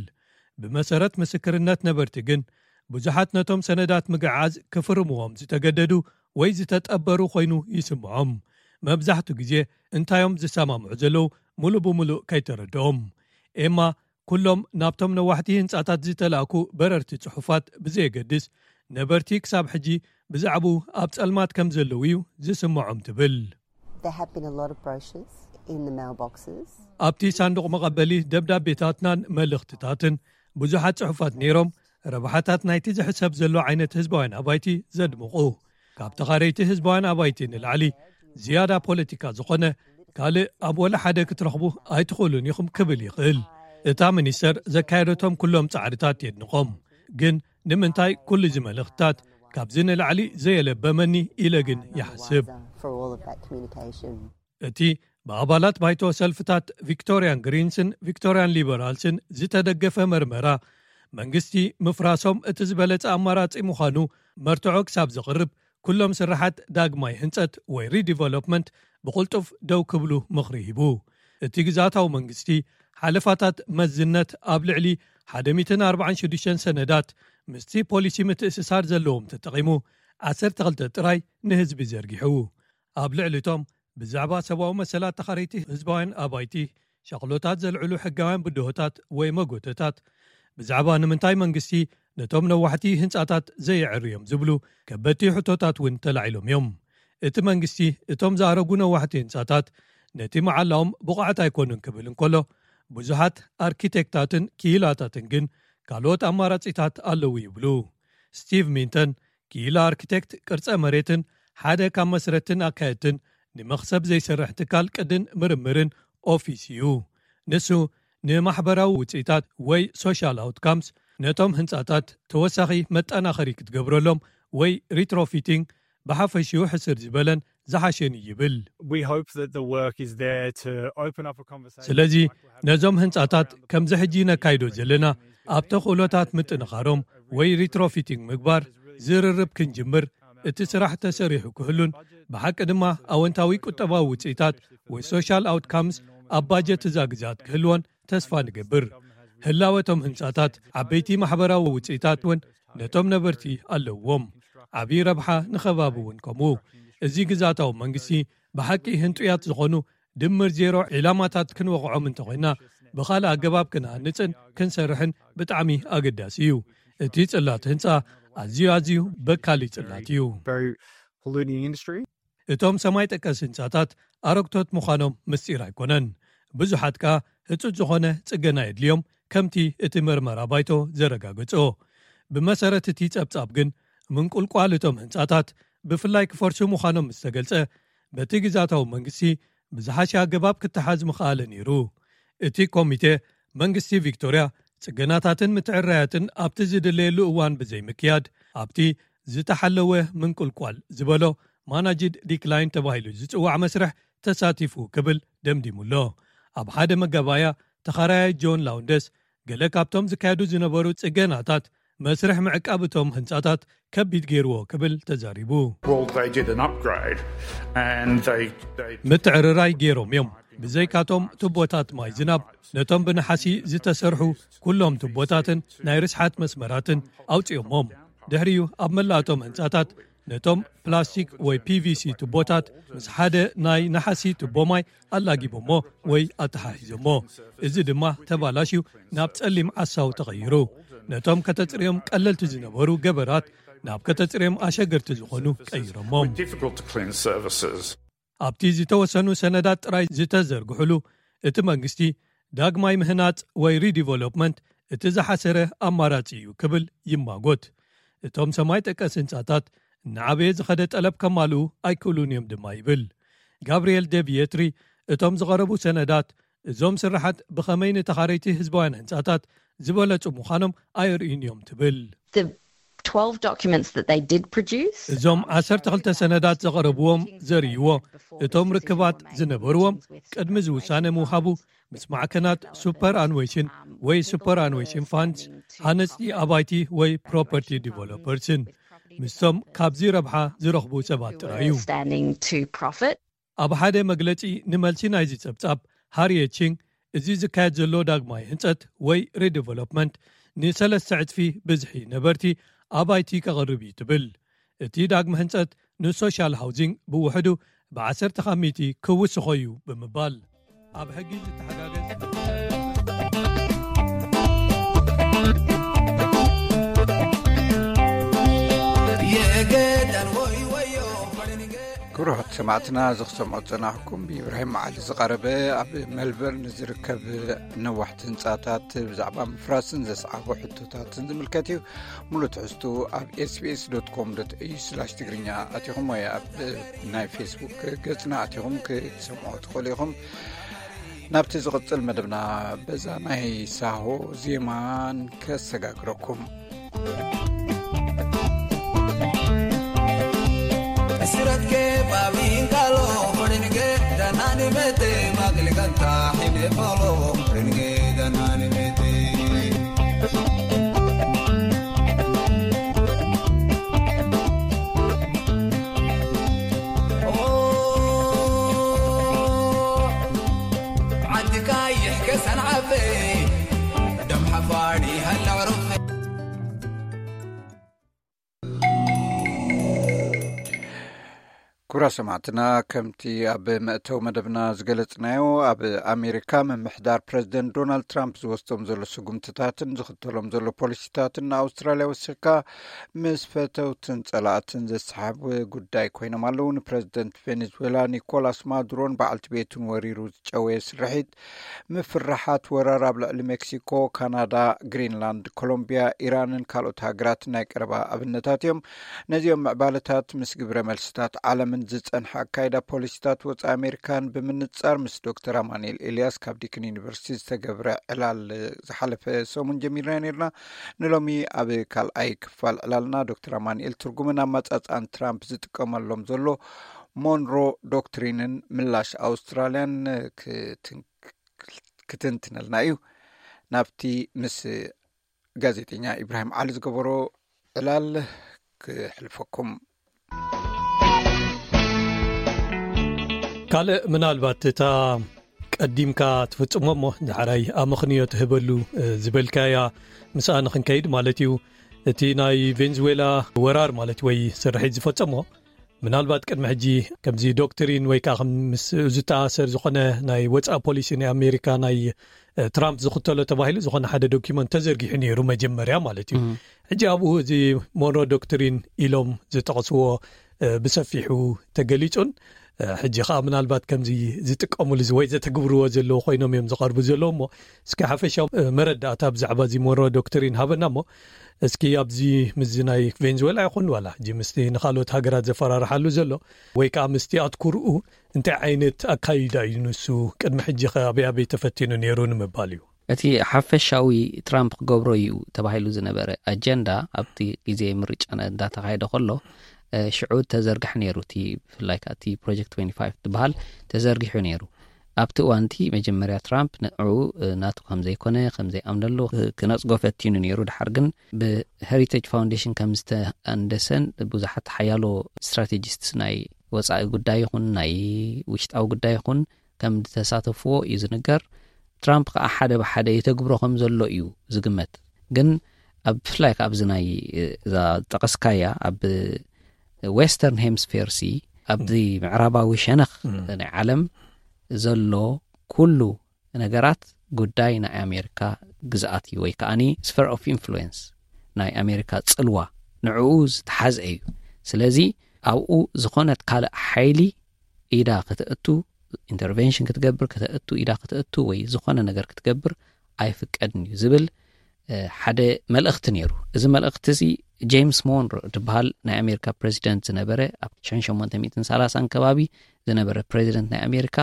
ብመሰረት ምስክርነት ነበርቲ ግን ብዙሓት ነቶም ሰነዳት ምግዓዝ ክፍርምዎም ዝተገደዱ ወይ ዝተጠበሩ ኮይኑ ይስምዖም። መብዛሕቱ ግዜ እንታዮም ዝሰማምዑ ዘለዉ ሙሉእ ብምሉእ ከይተረድኦም። ኤማ ኩሎም ናብቶም ነዋሕቲ ህንጻታት ዝተላእኩ በረርቲ ጽሑፋት ብዘየገድስ ነበርቲ ክሳብ ሕጂ ብዛዕባኡ ኣብ ጸልማት ከም ዘለዉ እዩ ዝስምዖም ትብል። There have been a lot of brochures in the mailboxes. ኣብቲ ሳንዱቕ መቐበሊ ደብዳቤታትናን መልእኽትታትን ብዙሓት ጽሑፋት ነይሮም፣ ረብሓታት ናይቲ ዝሕሰብ ዘሎ ዓይነት ህዝባውያን ኣባይቲ ዘድምቑ። ካብ ተኻረይቲ ህዝባውያን ኣባይቲ ንላዕሊ ዝያዳ ፖለቲካ ዝኾነ ካልእ ኣብ ወላ ሓደ ክትረኽቡ ኣይትኽእሉን ኢኹም ክብል ይኽእል። እታ ሚኒስተር ዘካየደቶም ኩሎም ጻዕርታት የድንቖም። ግን ንምንታይ ኩሉ እዚ መልእኽትታት ካብዚ ንላዕሊ ዘየለበመኒ ኢለ ግን ይሓስብ። For all of that communication. እቲ ብኣባላት ባይቶ ሰልፍታት ቪክቶርያን ግሪንስን ቪክቶርያን ሊበራልስን ዝተደገፈ መርመራ፣ መንግስቲ ምፍራሶም እቲ ዝበለጸ ኣማራጺ ምዃኑ መርትዖ ክሳብ ዘቕርብ ኩሎም ስራሓት ዳግማይ ህንጸት ወይ ሪዲቨሎፕመንት ብቕልጡፍ ደው ክብሉ ምኽሪ ሂቡ። እቲ ግዝኣታዊ መንግስቲ ሓለፋታት መዝነት ኣብ ልዕሊ ሓደ ሚእትን ኣርባዓን ሽዱሽተን ሰነዳት ምስቲ ፖሊሲ ምትእስሳር ዘለዎም ተጠቒሙ ዓሰርተ ክልተ ጥራይ ንህዝቢ ዘርጊሑ። ኣብ ልዕሊ እቶም ብዛዕባ ሰብኣዊ መሰላት ተኻረይቲ ህዝባውያን ኣባይቲ ሻቕሎታት ዘልዕሉ ሕጋውያን ብድሆታት ወይ መጎተታት፣ ብዛዕባ ንምንታይ መንግስቲ ነቶም ነዋሕቲ ህንጻታት ዘየዕርዮም ዝብሉ ከበድቲ ሕቶታት እውን ተላዒሎም እዮም። እቲ መንግስቲ እቶም ዝኣረጉ ነዋሕቲ ህንጻታት ነቲ መዓላኦም ብቑዓት ኣይኮኑን ክብል እንከሎ፣ ብዙሓት ኣርኪቴክታትን ክኢላታትን ግን ካልኦት ኣማራጺታት ኣለዉ ይብሉ። ስቲቭ ሚንተን ክኢላ ኣርኪቴክት ቅርጸ መሬትን ሓደ ካብ መስረትን ኣካየድትን ንመኽሰብ ዘይሰርሕ ትካል ቅድን ምርምርን ኦፊስ እዩ። ንሱ ንማሕበራዊ ውጽኢታት ወይ ሶሻል ኣውትካምስ ነቶም ህንጻታት ተወሳኺ መጠናኸሪ ክትገብረሎም ወይ ሪትሮፊቲንግ ብሓፈሽኡ ሕስር ዝበለን ዝሓሸን እዩ ይብል። We hope that the work is there to open up a conversation. ስለዚ ነዞም ህንጻታት ከምዚ ሕጂ ነካይዶ ዘለና ኣብ ተኽእሎታት ምጥንኻሮም ወይ ሪትሮፊቲንግ ምግባር ዝርርብ ክንጅምር፣ እቲ ስራሕ ተሰሪሑ ክህሉን ብሓቂ ድማ ኣወንታዊ ቁጠባዊ ውጽኢታት ወይ ሶሻል ኣውትካምስ ኣብ ባጀት እዛ ግዝኣት ክህልዎን ተስፋ ንገብር። ህላወቶም ህንጻታት ዓበይቲ ማሕበራዊ ውጽኢታት እውን ነቶም ነበርቲ ኣለዎም። ዓብዪ ረብሓ ንኸባቢ እውን ከምኡ። እዚ ግዝኣታዊ መንግስቲ ብሓቂ ህንጡያት ዝኾኑ ድምር ዜሮ ዒላማታት ክንወቕዖም እንተኾይና፣ ብኻልእ ኣገባብ ክንሃንጽን ክንሰርሕን ብጣዕሚ ኣገዳሲ እዩ። እቲ ጽላት ህንጻ ኣዝዩ ኣዝዩ በካሊ ጽላት እዩ። Very polluting industry. እቶም ሰማይ ጠቀስ ህንጻታት ኣረግቶት ምዃኖም ምስጢር ኣይኮነን። ብዙሓት ከኣ ህጹጽ ዝኾነ ጽገና የድልዮም፣ ከምቲ እቲ መርመራ ባይቶ ዘረጋገጾ። ብመሰረት እቲ ጸብጻብ ግን ምንቁልቋል እቶም ህንጻታት ብፍላይ ክፈርሱ ምዃኖም ምስ ተገልጸ፣ በቲ ግዝኣታዊ መንግስቲ ብዝሓሸ ኣገባብ ክተሓዝ ምኽኣለ ነይሩ። እቲ ኮሚቴ መንግስቲ ቪክቶርያ ጽገናታትን ምትዕራያትን ኣብቲ ዝድለየሉ እዋን ብዘይምክያድ ኣብቲ ዝተሓለወ ምንቁልቋል ዝበሎ ማናጅድ ዲክላይን ተባሂሉ ዝጽዋዕ መስርሕ ተሳቲፉ ክብል ደምዲሙሎ። ኣብ ሓደ መጋባእያ ተኻራያይ ጆን ላውንደስ ገለ ካብቶም ዝካየዱ ዝነበሩ ጽገናታት መስርሕ ምዕቃብ እቶም ህንጻታት ከቢድ ገይርዎ ክብል ተዛሪቡ። Well, they did an upgrade and they, they ምትዕርራይ ገይሮም እዮም። ብዘይካቶም ቱቦታት ማይ ዝናብ ነቶም ብነሓሲ ዝተሰርሑ ኩሎም ቱቦታትን ናይ ርስሓት መስመራትን ኣውጺኦሞም። ድሕሪኡ ኣብ መላእቶም ህንጻታት ነቶም ፕላስቲክ ወይ ፒቪሲ ቱቦታት ምስ ሓደ ናይ ነሓሲ ቱቦ ማይ ኣላጊቦሞ ወይ ኣተሓሒዞሞ። እዚ ድማ ተባላሽዩ ናብ ጸሊም ዓሳው ተቐይሩ። ነቶም ከተጽርዮም ቀለልቲ ዝነበሩ ገበራት ናብ ከተጽርዮም ኣሸገርቲ ዝኾኑ ቀይሮሞም። Difficult to clean surfaces. ኣብቲ ዝተወሰኑ ሰነዳት ጥራይ ዝተዘርግሕሉ እቲ መንግስቲ ዳግማይ ምህናጽ ወይ ሪዲቨሎፕመንት እቲ ዝሓሰረ ኣማራጺ እዩ ክብል ይማጎት። እቶም ሰማይ ጠቀስ ህንጻታት እናዓበየ ዝኸደ ጠለብ ከማልኡ ኣይክእሉን እዮም ድማ ይብል። ጋብርኤል ደቪየትሪ እቶም ዝቐረቡ ሰነዳት እዞም ስራሓት ብኸመይ ንተኻረይቲ ህዝባውያን ህንጻታት ዝበለጹ ምዃኖም ኣየርእዩን እዮም ትብል። The twelve documents that they did produce. እዞም ዓሰርተ ክልተ ሰነዳት ዘቐረብዎም ዘርእይዎ እቶም ርክባት ዝነበርዎም ቅድሚ ዝውሳነ ምውሃቡ ምስ ማዕከናት ሱፐር ኣንዌሽን ወይ ሱፐር ኣንዌሽን ፋንድስ፣ ሃነፅቲ ኣባይቲ ወይ ፕሮፐርቲ ዲቨሎፐርስን ምስቶም ካብዚ ረብሓ ዝረኽቡ ሰባት ጥራይ እዩ። Standing to profit. ኣብ ሓደ መግለጺ ንመልሲ ናይዚ ጸብጻብ፣ ሃሪየት ቺንግ፣ እዚ ዝካየድ ዘሎ ዳግማይ ህንጸት ወይ ሪዲቨሎፕመንት ንሰለስተ ዕጽፊ ብዝሒ ነበርቲ ኣባይቲ ከቕርብ እዩ ትብል። እቲ ዳግመ ህንጸት ንሶሻል ሃውዚንግ ብውሕዱ ብ10 ካብ ሚእቲ ክውስኾ እዩ ብምባል ኣብ ሕጊ ዝተሓጋገዝ ክብራት ሰማዕትና እዚ ክሰምዖ ዝጸናሕኩም ብኢብራሂም መዓሊ ዝቐረበ ኣብ ሜልበርን ዝርከብ ነዋሕቲ ህንጻታት ብዛዕባ ምፍራስን ዘስዓቦ ሕቶታትን ዝምልከት እዩ። ሙሉ ትሕዝቱ ኣብ ኤስቢኤስ ዶት ኮም ዶት ኤዩ ስላሽ ትግርኛ ኣቲኹም ወይ ኣብ ናይ ፌስቡክ ገጽና ኣቲኹም ክትሰምዖ ትኽእሉ ኢኹም። ናብቲ ዝቕጽል መደብና በዛ ናይ ሳሆ ዜማን ከሰጋግረኩም። ኩራ ሰማዕትና፣ ከምቲ ኣብ መእተው መደብና ዝገለጽናዮ፣ ኣብ ኣሜሪካ ምምሕዳር ፕረዚደንት ዶናልድ ትራምፕ ዝወስዶም ዘሎ ስጉምትታትን ዝኽተሎም ዘሎ ፖሊሲታትን ንኣውስትራልያ ወሲኽካ ምስ ፈተውትን ጸላእትን ዘሰሓብ ጉዳይ ኮይኖም ኣለዉ። ንፕረዚደንት ቬኔዙዌላ ኒኮላስ ማዱሮን በዓልቲ ቤቱን ወሪሩ ዝጨወየ ስርሒት ምፍርሓት ወራር ኣብ ልዕሊ ሜክሲኮ፣ ካናዳ፣ ግሪንላንድ፣ ኮሎምቢያ፣ ኢራንን ካልኦት ሃገራትን ናይ ቀረባ ኣብነታት እዮም። ነዚኦም ምዕባለታት ምስ ግብረ መልስታት ዓለምን ዝጸንሐ ኣካይዳ ፖሊሲታት ወጻኢ ኣሜሪካን ብምንጻር ምስ ዶክተር ኣማኑኤል ኤልያስ ካብ ዲክን ዩኒቨርሲቲ ዝተገብረ ዕላል ዝሓለፈ ሰሙን ጀሚርና ነርና። ንሎሚ ኣብ ካልኣይ ክፋል ዕላልና ዶክተር ኣማኑኤል ትርጉምን ኣመጻጽኣን ትራምፕ ዝጥቀመሎም ዘሎ ሞንሮ ዶክትሪንን ምላሽ ኣውስትራልያን ክትንትነልና እዩ። ናብቲ ምስ ጋዜጠኛ ኢብራሂም ዓሊ ዝገበሮ ዕላል ክሕልፈኩም። ካልእ ምናልባት እታ ቀዲምካ ትፍጽሞ እሞ ዳሕራይ ኣመኽንዮ ትህበሉ ዝበልካያ ምስኣ ንኽንከይድ ማለት እዩ። እቲ ናይ ቬንዙዌላ ወራር ማለት ወይ ስርሒት ዝፈጸሞ ምናልባት ቅድሚ ሕጂ ከምዚ ዶክትሪን ወይ ከዓ ምስ ዝተኣሰር ዝኾነ ናይ ወፃኢ ፖሊሲ ናይ ኣሜሪካ ናይ ትራምፕ ዝኽተሎ ተባሂሉ ዝኾነ ሓደ ዶኪመንት ተዘርጊሑ ነይሩ መጀመርያ ማለት እዩ። ሕጂ ኣብኡ እዚ ሞንሮ ዶክትሪን ኢሎም ዝጠቕስዎ ብሰፊሑ ተገሊጹን ሕጂ ከዓ ምናልባት ከምዚ ዝጥቀሙሉ ወይ ዘተግብርዎ ዘለዉ ኮይኖም እዮም ዝቐርቡ ዘለዉ እሞ እስኪ ሓፈሻዊ መረዳእታ ብዛዕባ እዚ ሞንሮ ዶክትሪን ሃበና እሞ እስኪ ኣብዚ ምስዚ ናይ ቬንዙዌላ ይኹን ዋላ ሕጂ ምስቲ ንኻልኦት ሃገራት ዘፈራርሓሉ ዘሎ ወይ ከዓ ምስቲ ኣትኩርኡ እንታይ ዓይነት ኣካይዳ እዩ ንሱ ቅድሚ ሕጂ ከ ኣበይ ኣበይ ተፈቲኑ ነይሩ ንምባል እዩ። እቲ ሓፈሻዊ ትራምፕ ክገብሮ እዩ ተባሂሉ ዝነበረ ኣጀንዳ ኣብቲ ግዜ ምርጫ እንዳተኻየደ ከሎ ሽዑ ተዘርግሐ ነይሩ። እቲ ብፍላይ ከዓ እቲ ፕሮጀክት ትዌንቲ ፋይቭ ዝበሃል ተዘርጊሑ ነይሩ። ኣብቲ እዋንቲ መጀመርያ ትራምፕ ንዕኡ ናቱ ከም ዘይኮነ ከም ዘይኣምነሉ ክነጽጎ ፈቲኑ ነይሩ። ድሓር ግን ብሄሪቴጅ ፋውንዴሽን ከም ዝተኣንደሰን ብዙሓት ሓያሎ ስትራቴጂስት ናይ ወፃኢ ጉዳይ ይኹን ናይ ውሽጣዊ ጉዳይ ይኹን ከም ዝተሳተፍዎ እዩ ዝንገር። ትራምፕ ከዓ ሓደ ብሓደ የተግብሮ ከም ዘሎ እዩ ዝግመት። ግን ኣብ ብፍላይ ካብ እዚ ናይ እዛ ጠቐስካያ ኣብ ዌስተርን ሄምስፌር ሲ ኣብዚ ምዕራባዊ ሸነኽ ናይ ዓለም ዘሎ ኩሉ ነገራት ጉዳይ ናይ ኣሜሪካ ግዝኣት እዩ ወይ ከዓኒ ስፈር ኦፍ ኢንፍሉዌንስ ናይ ኣሜሪካ ጽልዋ ንዕኡ ዝተሓዘ እዩ። ስለዚ ኣብኡ ዝኾነት ካልእ ሓይሊ ኢዳ ከተእቱ ኢንተርቨንሽን ክትገብር ከተእቱ ኢዳ ከተእቱ ወይ ዝኾነ ነገር ክትገብር ኣይፍቀድን እዩ ዝብል ሓደ መልእኽቲ ነይሩ። እዚ መልእኽቲ እዚ ጄምስ ሞንሮ ዝበሃል ናይ ኣሜሪካ ፕሬዚደንት ዝነበረ፣ ኣብ ሸሞንተ ሚእትን ሰላሳን ከባቢ ዝነበረ ፕሬዚደንት ናይ ኣሜሪካ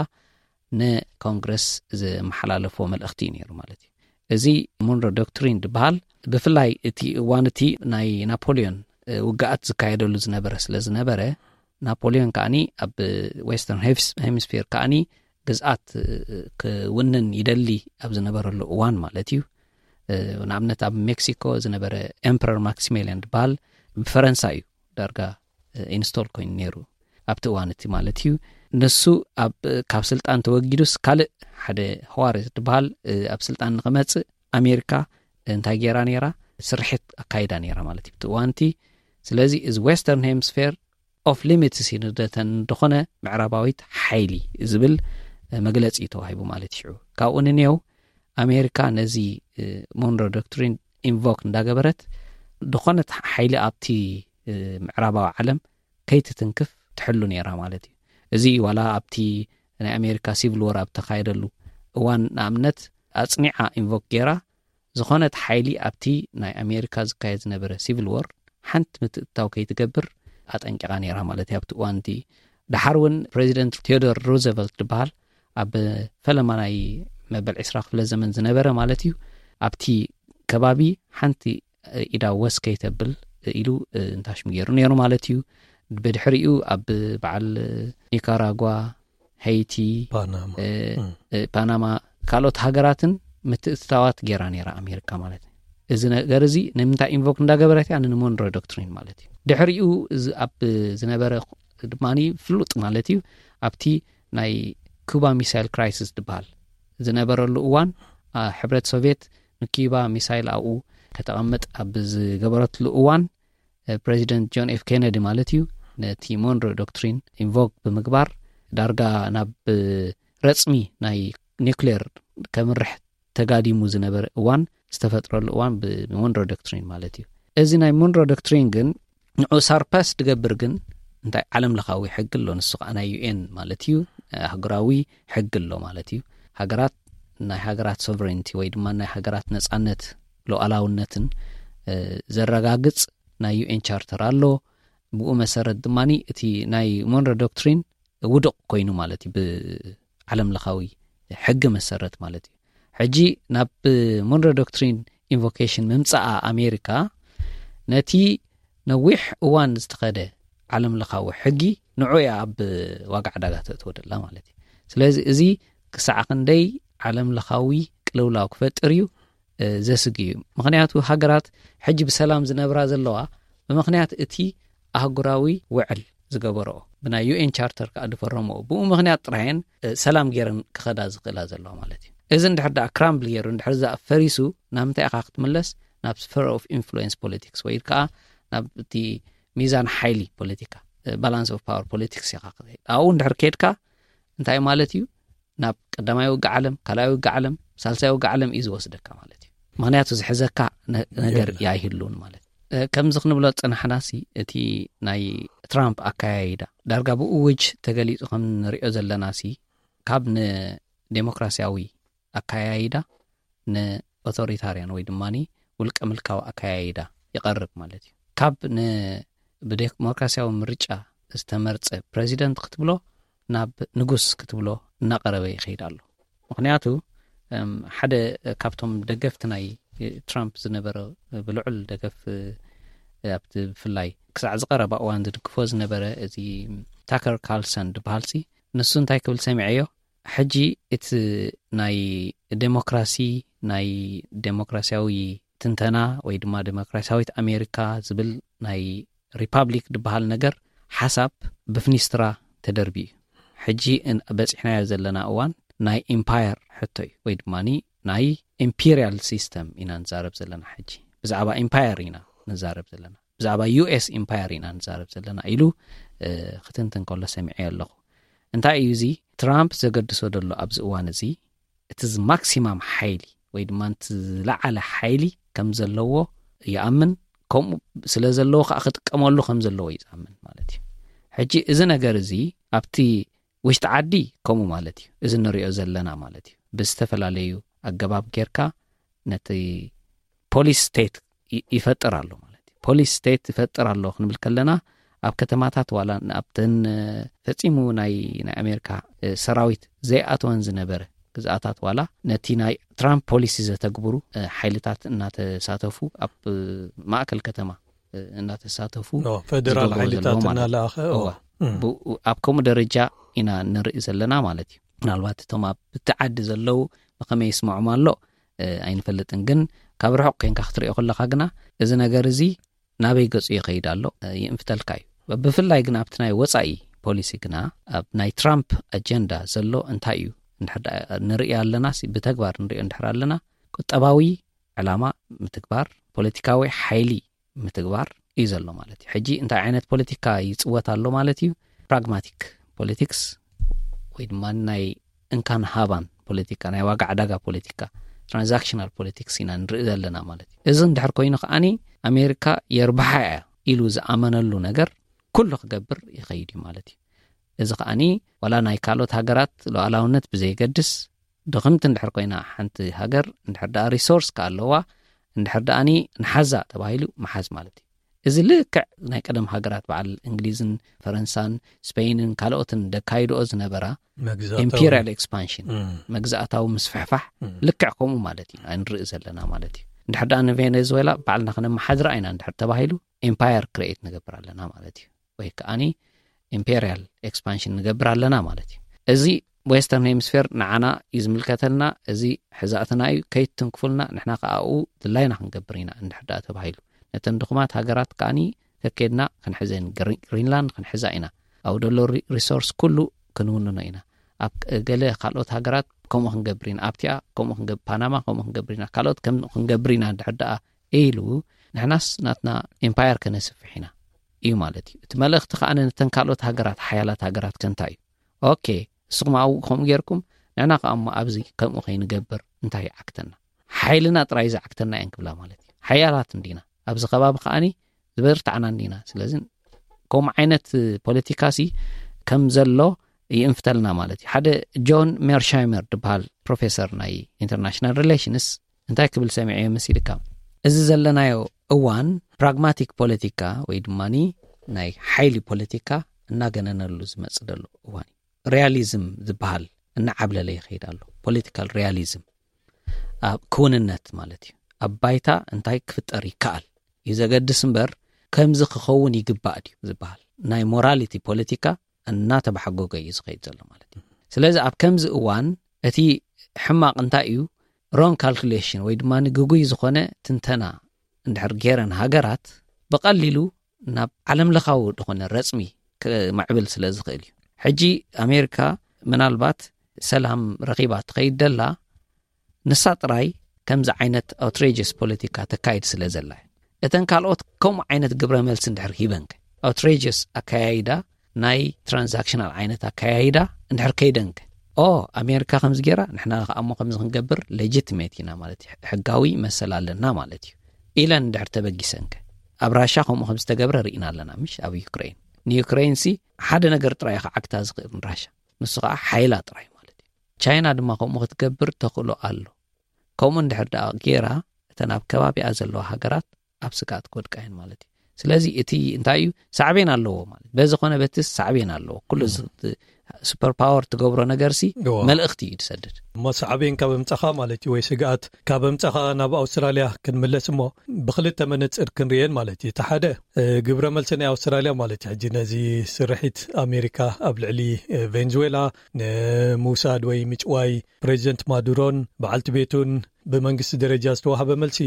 ንኮንግረስ ዝመሓላለፎ መልእኽቲ እዩ ነይሩ ማለት እዩ። እዚ ሞንሮ ዶክትሪን ዝበሃል፣ ብፍላይ እቲ እዋን እቲ ናይ ናፖሊዮን ውግኣት ዝካየደሉ ዝነበረ ስለ ዝነበረ፣ ናፖሊዮን ከዓኒ ኣብ ዌስተርን ሄምስፌር ከዓኒ ግዝኣት ክውንን ይደሊ ኣብ ዝነበረሉ እዋን ማለት እዩ። ንኣብነት ኣብ ሜክሲኮ ዝነበረ ኤምፐረር ማክሲሜልያን ዝበሃል ብፈረንሳ እዩ ዳርጋ ኢንስቶል ኮይኑ ነይሩ ኣብቲ እዋን እቲ ማለት እዩ። ንሱ ኣብ ካብ ስልጣን ተወጊዱስ ካልእ ሓደ ህዋርስ ዝበሃል ኣብ ስልጣን ንክመፅእ ኣሜሪካ እንታይ ገይራ ነይራ? ስርሒት ኣካይዳ ነይራ ማለት እዩ ኣብቲ እዋን እቲ። ስለዚ እዚ ዌስተርን ሄምስፌር ኦፍ ሊሚትስ ይንደተን እንደኾነ ምዕራባዊት ሓይሊ ዝብል መግለፂ እዩ ተዋሂቡ ማለት እዩ። ካብኡ ንኔው ኣሜሪካ ነዚ ሞንሮ ዶክትሪን ኢንቮክ እንዳገበረት፣ ዝኾነት ሓይሊ ኣብቲ ምዕራባዊ ዓለም ከይትትንክፍ ትሕሉ ነይራ ማለት እዩ። እዚ ዋላ ኣብቲ ናይ ኣሜሪካ ሲቪል ወር ኣብ ተኻየደሉ እዋን ንኣብነት ኣፅኒዓ ኢንቮክ ገይራ፣ ዝኾነት ሓይሊ ኣብቲ ናይ ኣሜሪካ ዝካየድ ዝነበረ ሲቪል ወር ሓንቲ ምትእትታው ከይትገብር ኣጠንቂቓ ነይራ ማለት እዩ ኣብቲ እዋን እቲ። ደሓር እውን ፕሬዚደንት ቴዎዶር ሩዘቨልት ዝበሃል ኣብ ፈለማ ናይ መበል ዕስራ ክፍለ ዘመን ዝነበረ ማለት እዩ፣ ኣብቲ ከባቢ ሓንቲ ኢዳ ወስ ከይተብል ኢሉ እንታሽሙ ገይሩ ነይሩ ማለት እዩ። ብድሕሪኡ ኣብ በዓል ኒካራጓ፣ ሄይቲ፣ ፓናማ ካልኦት ሃገራትን ምትእትታዋት ገይራ ነይራ ኣሜሪካ ማለት እዩ። እዚ ነገር እዚ ንምንታይ ኢንቮክ እንዳገበረት እያ? ንሞንሮ ዶክትሪን ማለት እዩ። ድሕሪኡ ኣብ ዝነበረ ድማ ፍሉጥ ማለት እዩ፣ ኣብቲ ናይ ኩባ ሚሳይል ክራይሲስ ዝበሃል ዝነበረሉ እዋን፣ ሕብረት ሶቪየት ንኩባ ሚሳይል ኣብኡ ከተቐምጥ ኣብ ዝገበረትሉ እዋን፣ ፕሬዚደንት ጆን ኤፍ ኬነዲ ማለት እዩ፣ ነቲ ሞንሮ ዶክትሪን ኢንቮክ ብምግባር ዳርጋ ናብ ረፅሚ ናይ ኒክሌር ከምርሕ ተጋዲሙ ዝነበረ እዋን ዝተፈጥረሉ እዋን ብሞንሮ ዶክትሪን ማለት እዩ። እዚ ናይ ሞንሮ ዶክትሪን ግን ንዑ ሳርፓስ ድገብር ግን እንታይ ዓለም ለኻዊ ሕጊ ኣሎ፣ ንሱ ከዓ ናይ ዩኤን ማለት እዩ፣ ኣህጉራዊ ሕጊ ኣሎ ማለት እዩ። ሃገራት ናይ ሃገራት ሶቨሬንቲ ወይ ድማ ናይ ሃገራት ነፃነት ሉዓላውነትን ዘረጋግፅ ናይ ዩኤን ቻርተር ኣሎ። ብኡ መሰረት ድማ እቲ ናይ ሞንሮ ዶክትሪን ውዱቕ ኮይኑ ማለት እዩ ብዓለም ለኻዊ ሕጊ መሰረት ማለት እዩ። ሕጂ ናብ ሞንሮ ዶክትሪን ኢንቮኬሽን ምምፃኣ ኣሜሪካ ነቲ ነዊሕ እዋን ዝተኸደ ዓለም ለኻዊ ሕጊ ንዑ እያ ኣብ ዋጋ ዕዳጋ ተእትወ ደላ ማለት እዩ። ስለዚ እዚ ክሳዕ ክንደይ ዓለም ለኻዊ ቅልውላው ክፈጥር እዩ ዘስግ እዩ። ምክንያቱ ሃገራት ሕጂ ብሰላም ዝነብራ ዘለዋ ብምክንያት እቲ ኣህጉራዊ ውዕል ዝገበረኦ ብናይ ዩኤን ቻርተር ከዓ ዝፈረመኦ ብኡ ምክንያት ጥራየን ሰላም ገይረን ክኸዳ ዝኽእላ ዘለዋ ማለት እዩ። እዚ እንድሕር ደኣ ክራምብል ገይሩ እንድሕር ዛ ፈሪሱ ናብ ምንታይ ኢኻ ክትምለስ? ናብ ስፈር ኦፍ ኢንፍሉዌንስ ፖለቲክስ ወይ ከዓ ናብ እቲ ሚዛን ሓይሊ ፖለቲካ፣ ባላንስ ኦፍ ፓወር ፖለቲክስ ኢኻ ክትኸይድ። ኣብኡ እንድሕር ከይድካ እንታይ ማለት እዩ? ናብ ቀዳማይ ውግእ ዓለም፣ ካልኣይ ውግእ ዓለም፣ ሳልሳይ ውግእ ዓለም እዩ ዝወስደካ ማለት እዩ። ምክንያቱ ዝሕዘካ ነገር ኣይህሉን ማለት። ከምዚ ክንብሎ ዝፀናሕናሲ እቲ ናይ ትራምፕ ኣካያይዳ ዳርጋ ብእውጅ ተገሊፁ ከም ንሪኦ ዘለናሲ ካብ ንዴሞክራሲያዊ ኣካያይዳ ንኦቶሪታርያን ወይ ድማ ውልቀ ምልካዊ ኣካያይዳ ይቐርብ ማለት እዩ። ካብ ብዴሞክራሲያዊ ምርጫ ዝተመርፀ ፕሬዚደንት ክትብሎ ናብ ንጉስ ክትብሎ እናቐረበ ይኸይድ ኣሎ። ምክንያቱ ሓደ ካብቶም ደገፍቲ ናይ ትራምፕ ዝነበረ ብልዑል ደገፍ ኣብቲ ብፍላይ ክሳዕ ዝቐረባ እዋን ዝድግፎ ዝነበረ እዚ ታከር ካልሰን ዝበሃልሲ ንሱ እንታይ ክብል ሰሚዐዮ? ሕጂ እቲ ናይ ዴሞክራሲ ናይ ዴሞክራሲያዊ ትንተና ወይ ድማ ዴሞክራሲያዊት ኣሜሪካ ዝብል ናይ ሪፓብሊክ ዝበሃል ነገር ሓሳብ ብፍኒስትራ ተደርቢ እዩ። ሕጂ በፂሕናዮ ዘለና እዋን ናይ ኢምፓየር ሕቶ እዩ ወይ ድማ ናይ ኢምፒሪያል ሲስተም ኢና ንዛረብ ዘለና። ሕጂ ብዛዕባ ኢምፓየር ኢና ንዛረብ ዘለና፣ ብዛዕባ ዩኤስ ኢምፓየር ኢና ንዛረብ ዘለና ኢሉ ክትንትን ከሎ ሰሚዐ ኣለኹ። እንታይ እዩ እዚ ትራምፕ ዘገድሶ ዘሎ ኣብዚ እዋን እዚ? እቲ ማክሲማም ሓይሊ ወይ ድማ እቲ ዝለዓለ ሓይሊ ከም ዘለዎ ይኣምን፣ ከምኡ ስለ ዘለዎ ከዓ ክጥቀመሉ ከም ዘለዎ እዩ ዝኣምን ማለት እዩ። ሕጂ እዚ ነገር እዚ ኣብቲ ውሽጢ ዓዲ ከምኡ ማለት እዩ፣ እዚ ንሪኦ ዘለና ማለት እዩ። ብዝተፈላለዩ ኣገባብ ጌርካ ነቲ ፖሊስ ስቴት ይፈጥር ኣሎ ማለት እዩ። ፖሊስ ስቴት ይፈጥር ኣሎ ክንብል ከለና ኣብ ከተማታት ዋላ ኣብተን ፈፂሙ ናይ ናይ ኣሜሪካ ሰራዊት ዘይኣተወን ዝነበረ ግዝኣታት ዋላ ነቲ ናይ ትራምፕ ፖሊሲ ዘተግብሩ ሓይልታት እናተሳተፉ ኣብ ማእከል ከተማ እናተሳተፉ ፌደራል ሓይልታት እናለኣኸ ኣብ ከምኡ ደረጃ ኢና ንርኢ ዘለና ማለት እዩ። ምናልባት እቶም ኣብ ብቲ ዓዲ ዘለዉ ብኸመይ ይስምዖም ኣሎ ኣይንፈልጥን፣ ግን ካብ ርሑቕ ኮንካ ክትሪኦ ከለኻ ግና እዚ ነገር እዚ ናበይ ገጹ ይኸይድ ኣሎ ይእንፍተልካ እዩ። ብፍላይ ግና ኣብቲ ናይ ወጻኢ ፖሊሲ ግና ኣብ ናይ ትራምፕ ኣጀንዳ ዘሎ እንታይ እዩ ንርኢ ኣለና፣ ብተግባር ንሪኦ እንድሕር ኣለና ቁጠባዊ ዕላማ ምትግባር፣ ፖለቲካዊ ሓይሊ ምትግባር እዩ ዘሎ ማለት እዩ። ሕጂ እንታይ ዓይነት ፖለቲካ ይፅወት ኣሎ ማለት እዩ? ፕራግማቲክ ፖለቲክስ ወይ ድማ ናይ እንካን ሃባን ፖለቲካ፣ ናይ ዋጋ ዕዳጋ ፖለቲካ፣ ትራንዛክሽናል ፖለቲክስ ኢና ንርኢ ዘለና ማለት እዩ። እዚ እንድሕር ኮይኑ ከዓኒ ኣሜሪካ የርብሓ እያ ኢሉ ዝኣመነሉ ነገር ኩሉ ክገብር ይኸይድ እዩ ማለት እዩ። እዚ ከዓኒ ዋላ ናይ ካልኦት ሃገራት ሉዓላውነት ብዘይገድስ ድኽምቲ እንድሕር ኮይና ሓንቲ ሃገር እንድሕር ደኣ ሪሶርስ ከኣለዋ እንድሕር ደኣኒ ንሓዛ ተባሂሉ መሓዝ ማለት እዩ። እዚ ልክዕ ናይ ቀደም ሃገራት በዓል እንግሊዝን ፈረንሳን ስፔይንን ካልኦትን ደካይድኦ ዝነበራ ኢምፔሪያል ኤክስፓንሽን መግዛእታዊ ምስፍሕፋሕ ልክዕ ከምኡ ማለት እዩ ንርኢ ዘለና ማለት እዩ። እንድሕር ደኣ ንቬኔዙዌላ ባዕልና ክነመሓድራ ኢና እንድሕር ተባሂሉ ኤምፓየር ክሬኤት ንገብር ኣለና ማለት እዩ። ወይ ከዓኒ ኢምፔሪያል ኤክስፓንሽን ንገብር ኣለና ማለት እዩ። እዚ ዌስተርን ሄምስፌር ንዓና እዩ ዝምልከተልና፣ እዚ ሕዛእትና እዩ፣ ከይትንክፉልና ንሕና ከኣኡ ድላይና ክንገብር ኢና እንድሕር ደኣ ተባሂሉ ነተን ድኹማት ሃገራት ከዓኒ ከኬድና ክንሕዘን ግሪንላንድ ክንሕዛ ኢና፣ ኣብ ደሎ ሪሶርስ ኩሉ ክንውንኖ ኢና፣ ኣብ ገለ ካልኦት ሃገራት ከምኡ ክንገብር ኢና፣ ኣብቲኣ ከምኡ ክንገብር ፓናማ ከምኡ ክንገብር ኢና፣ ካልኦት ከም ክንገብር ኢና እንድሕር ደኣ ኢሉ ንሕናስ ናትና ኤምፓየር ከነስፍሕ ኢና እዩ ማለት እዩ። እቲ መልእኽቲ ከዓ ነተን ካልኦት ሃገራት ሓያላት ሃገራት ከንታ እዩ። ኦኬ እስኹም ኣብኡ ከምኡ ጌርኩም ንሕና ከዓ እሞ ኣብዚ ከምኡ ከይንገብር እንታይ ይዓክተና? ሓይልና ጥራይ ዝዓክተና እየን ክብላ ማለት እዩ። ሓያላት እንዲና ኣብዚ ከባቢ ከዓኒ ዝበርታዕና እንዲና። ስለዚ ከምኡ ዓይነት ፖለቲካ ሲ ከም ዘሎ ይእንፍተልና ማለት እዩ። ሓደ ጆን ሜርሻይመር ዝበሃል ፕሮፌሰር ናይ ኢንተርናሽናል ሪሌሽንስ እንታይ ክብል ሰሚዐ መሲልካ? እዚ ዘለናዮ እዋን ፕራግማቲክ ፖለቲካ ወይ ድማ ናይ ሓይሊ ፖለቲካ እናገነነሉ ዝመጽእ ዘሎ እዋን እዩ። ሪያሊዝም ዝበሃል እናዓብለለ ይኸይድ ኣሎ። ፖለቲካል ሪያሊዝም ኣብ ክውንነት ማለት እዩ። ኣብ ባይታ እንታይ ክፍጠር ይከኣል እዩ ዘገድስ እምበር ከምዚ ክኸውን ይግባእ ድዩ ዝበሃል ናይ ሞራሊቲ ፖለቲካ እናተባሓጎገ እዩ ዝኸይድ ዘሎ ማለት እዩ። ስለዚ ኣብ ከምዚ እዋን እቲ ሕማቕ እንታይ እዩ? ሮንግ ካልኩሌሽን ወይ ድማ ግጉይ ዝኾነ ትንተና እንድሕር ገይረን ሃገራት ብቐሊሉ ናብ ዓለም ለኻዊ ዝኾነ ረጽሚ ክምዕብል ስለ ዝኽእል እዩ። ሕጂ ኣሜሪካ ምናልባት ሰላም ረኺባ ትኸይድ ደላ ንሳ ጥራይ ከምዚ ዓይነት ኣውትሬጀስ ፖለቲካ ተካይድ ስለ ዘላ እተን ካልኦት ከምኡ ዓይነት ግብረ መልሲ እንድሕር ሂበንከ ኣውትሬጀስ ኣከያይዳ ናይ ትራንዛክሽናል ዓይነት ኣከያይዳ እንድሕር ከይደንከ ኦ ኣሜሪካ ከምዚ ገይራ ንሕና ከኣሞ ከምዚ ክንገብር ሌጂትሜት ኢና ማለት እዩ። ሕጋዊ መሰል ኣለና ማለት እዩ ኢለን እንድሕር ተበጊሰንከ ኣብ ራሻ ከምኡ ከም ዝተገብረ ርኢና ኣለና ምሽ ኣብ ዩክሬን ንዩክሬን ሲ ሓደ ነገር ጥራይ ክዓግታ ዝኽእል ንራሻ ንሱ ከዓ ሓይላ ጥራይ ማለት እዩ። ቻይና ድማ ከምኡ ክትገብር ተኽእሎ ኣሎ። ከምኡ እንድሕር ደኣ ገይራ እተን ኣብ ከባቢኣ ዘለዋ ሃገራት ኣብ ስግኣት ክወድቃ እየን ማለት እዩ። ስለዚ እቲ እንታይ እዩ ሳዕቤን ኣለዎ ማለት በዚ ኮነ በቲ ሳዕቤን ኣለዎ። ኩሉ ሱፐር ፓወር ትገብሮ ነገር ሲ መልእኽቲ እዩ ትሰድድ። እሞ ሳዕቤን ካብ ኣምጻኻ ማለት እዩ ወይ ስግኣት ካብ ኣምጻኻ ናብ ኣውስትራልያ ክንምለስ እሞ ብክልተ መነጽር ክንርእየን ማለት እዩ። እቲ ሓደ ግብረ መልሲ ናይ ኣውስትራልያ ማለት እዩ። ሕጂ ነዚ ስርሒት ኣሜሪካ ኣብ ልዕሊ ቬንዙዌላ ንምውሳድ ወይ ምጭዋይ ፕሬዚደንት ማዱሮን በዓልቲ ቤቱን ብመንግስቲ ደረጃ ዝተዋህበ መልሲ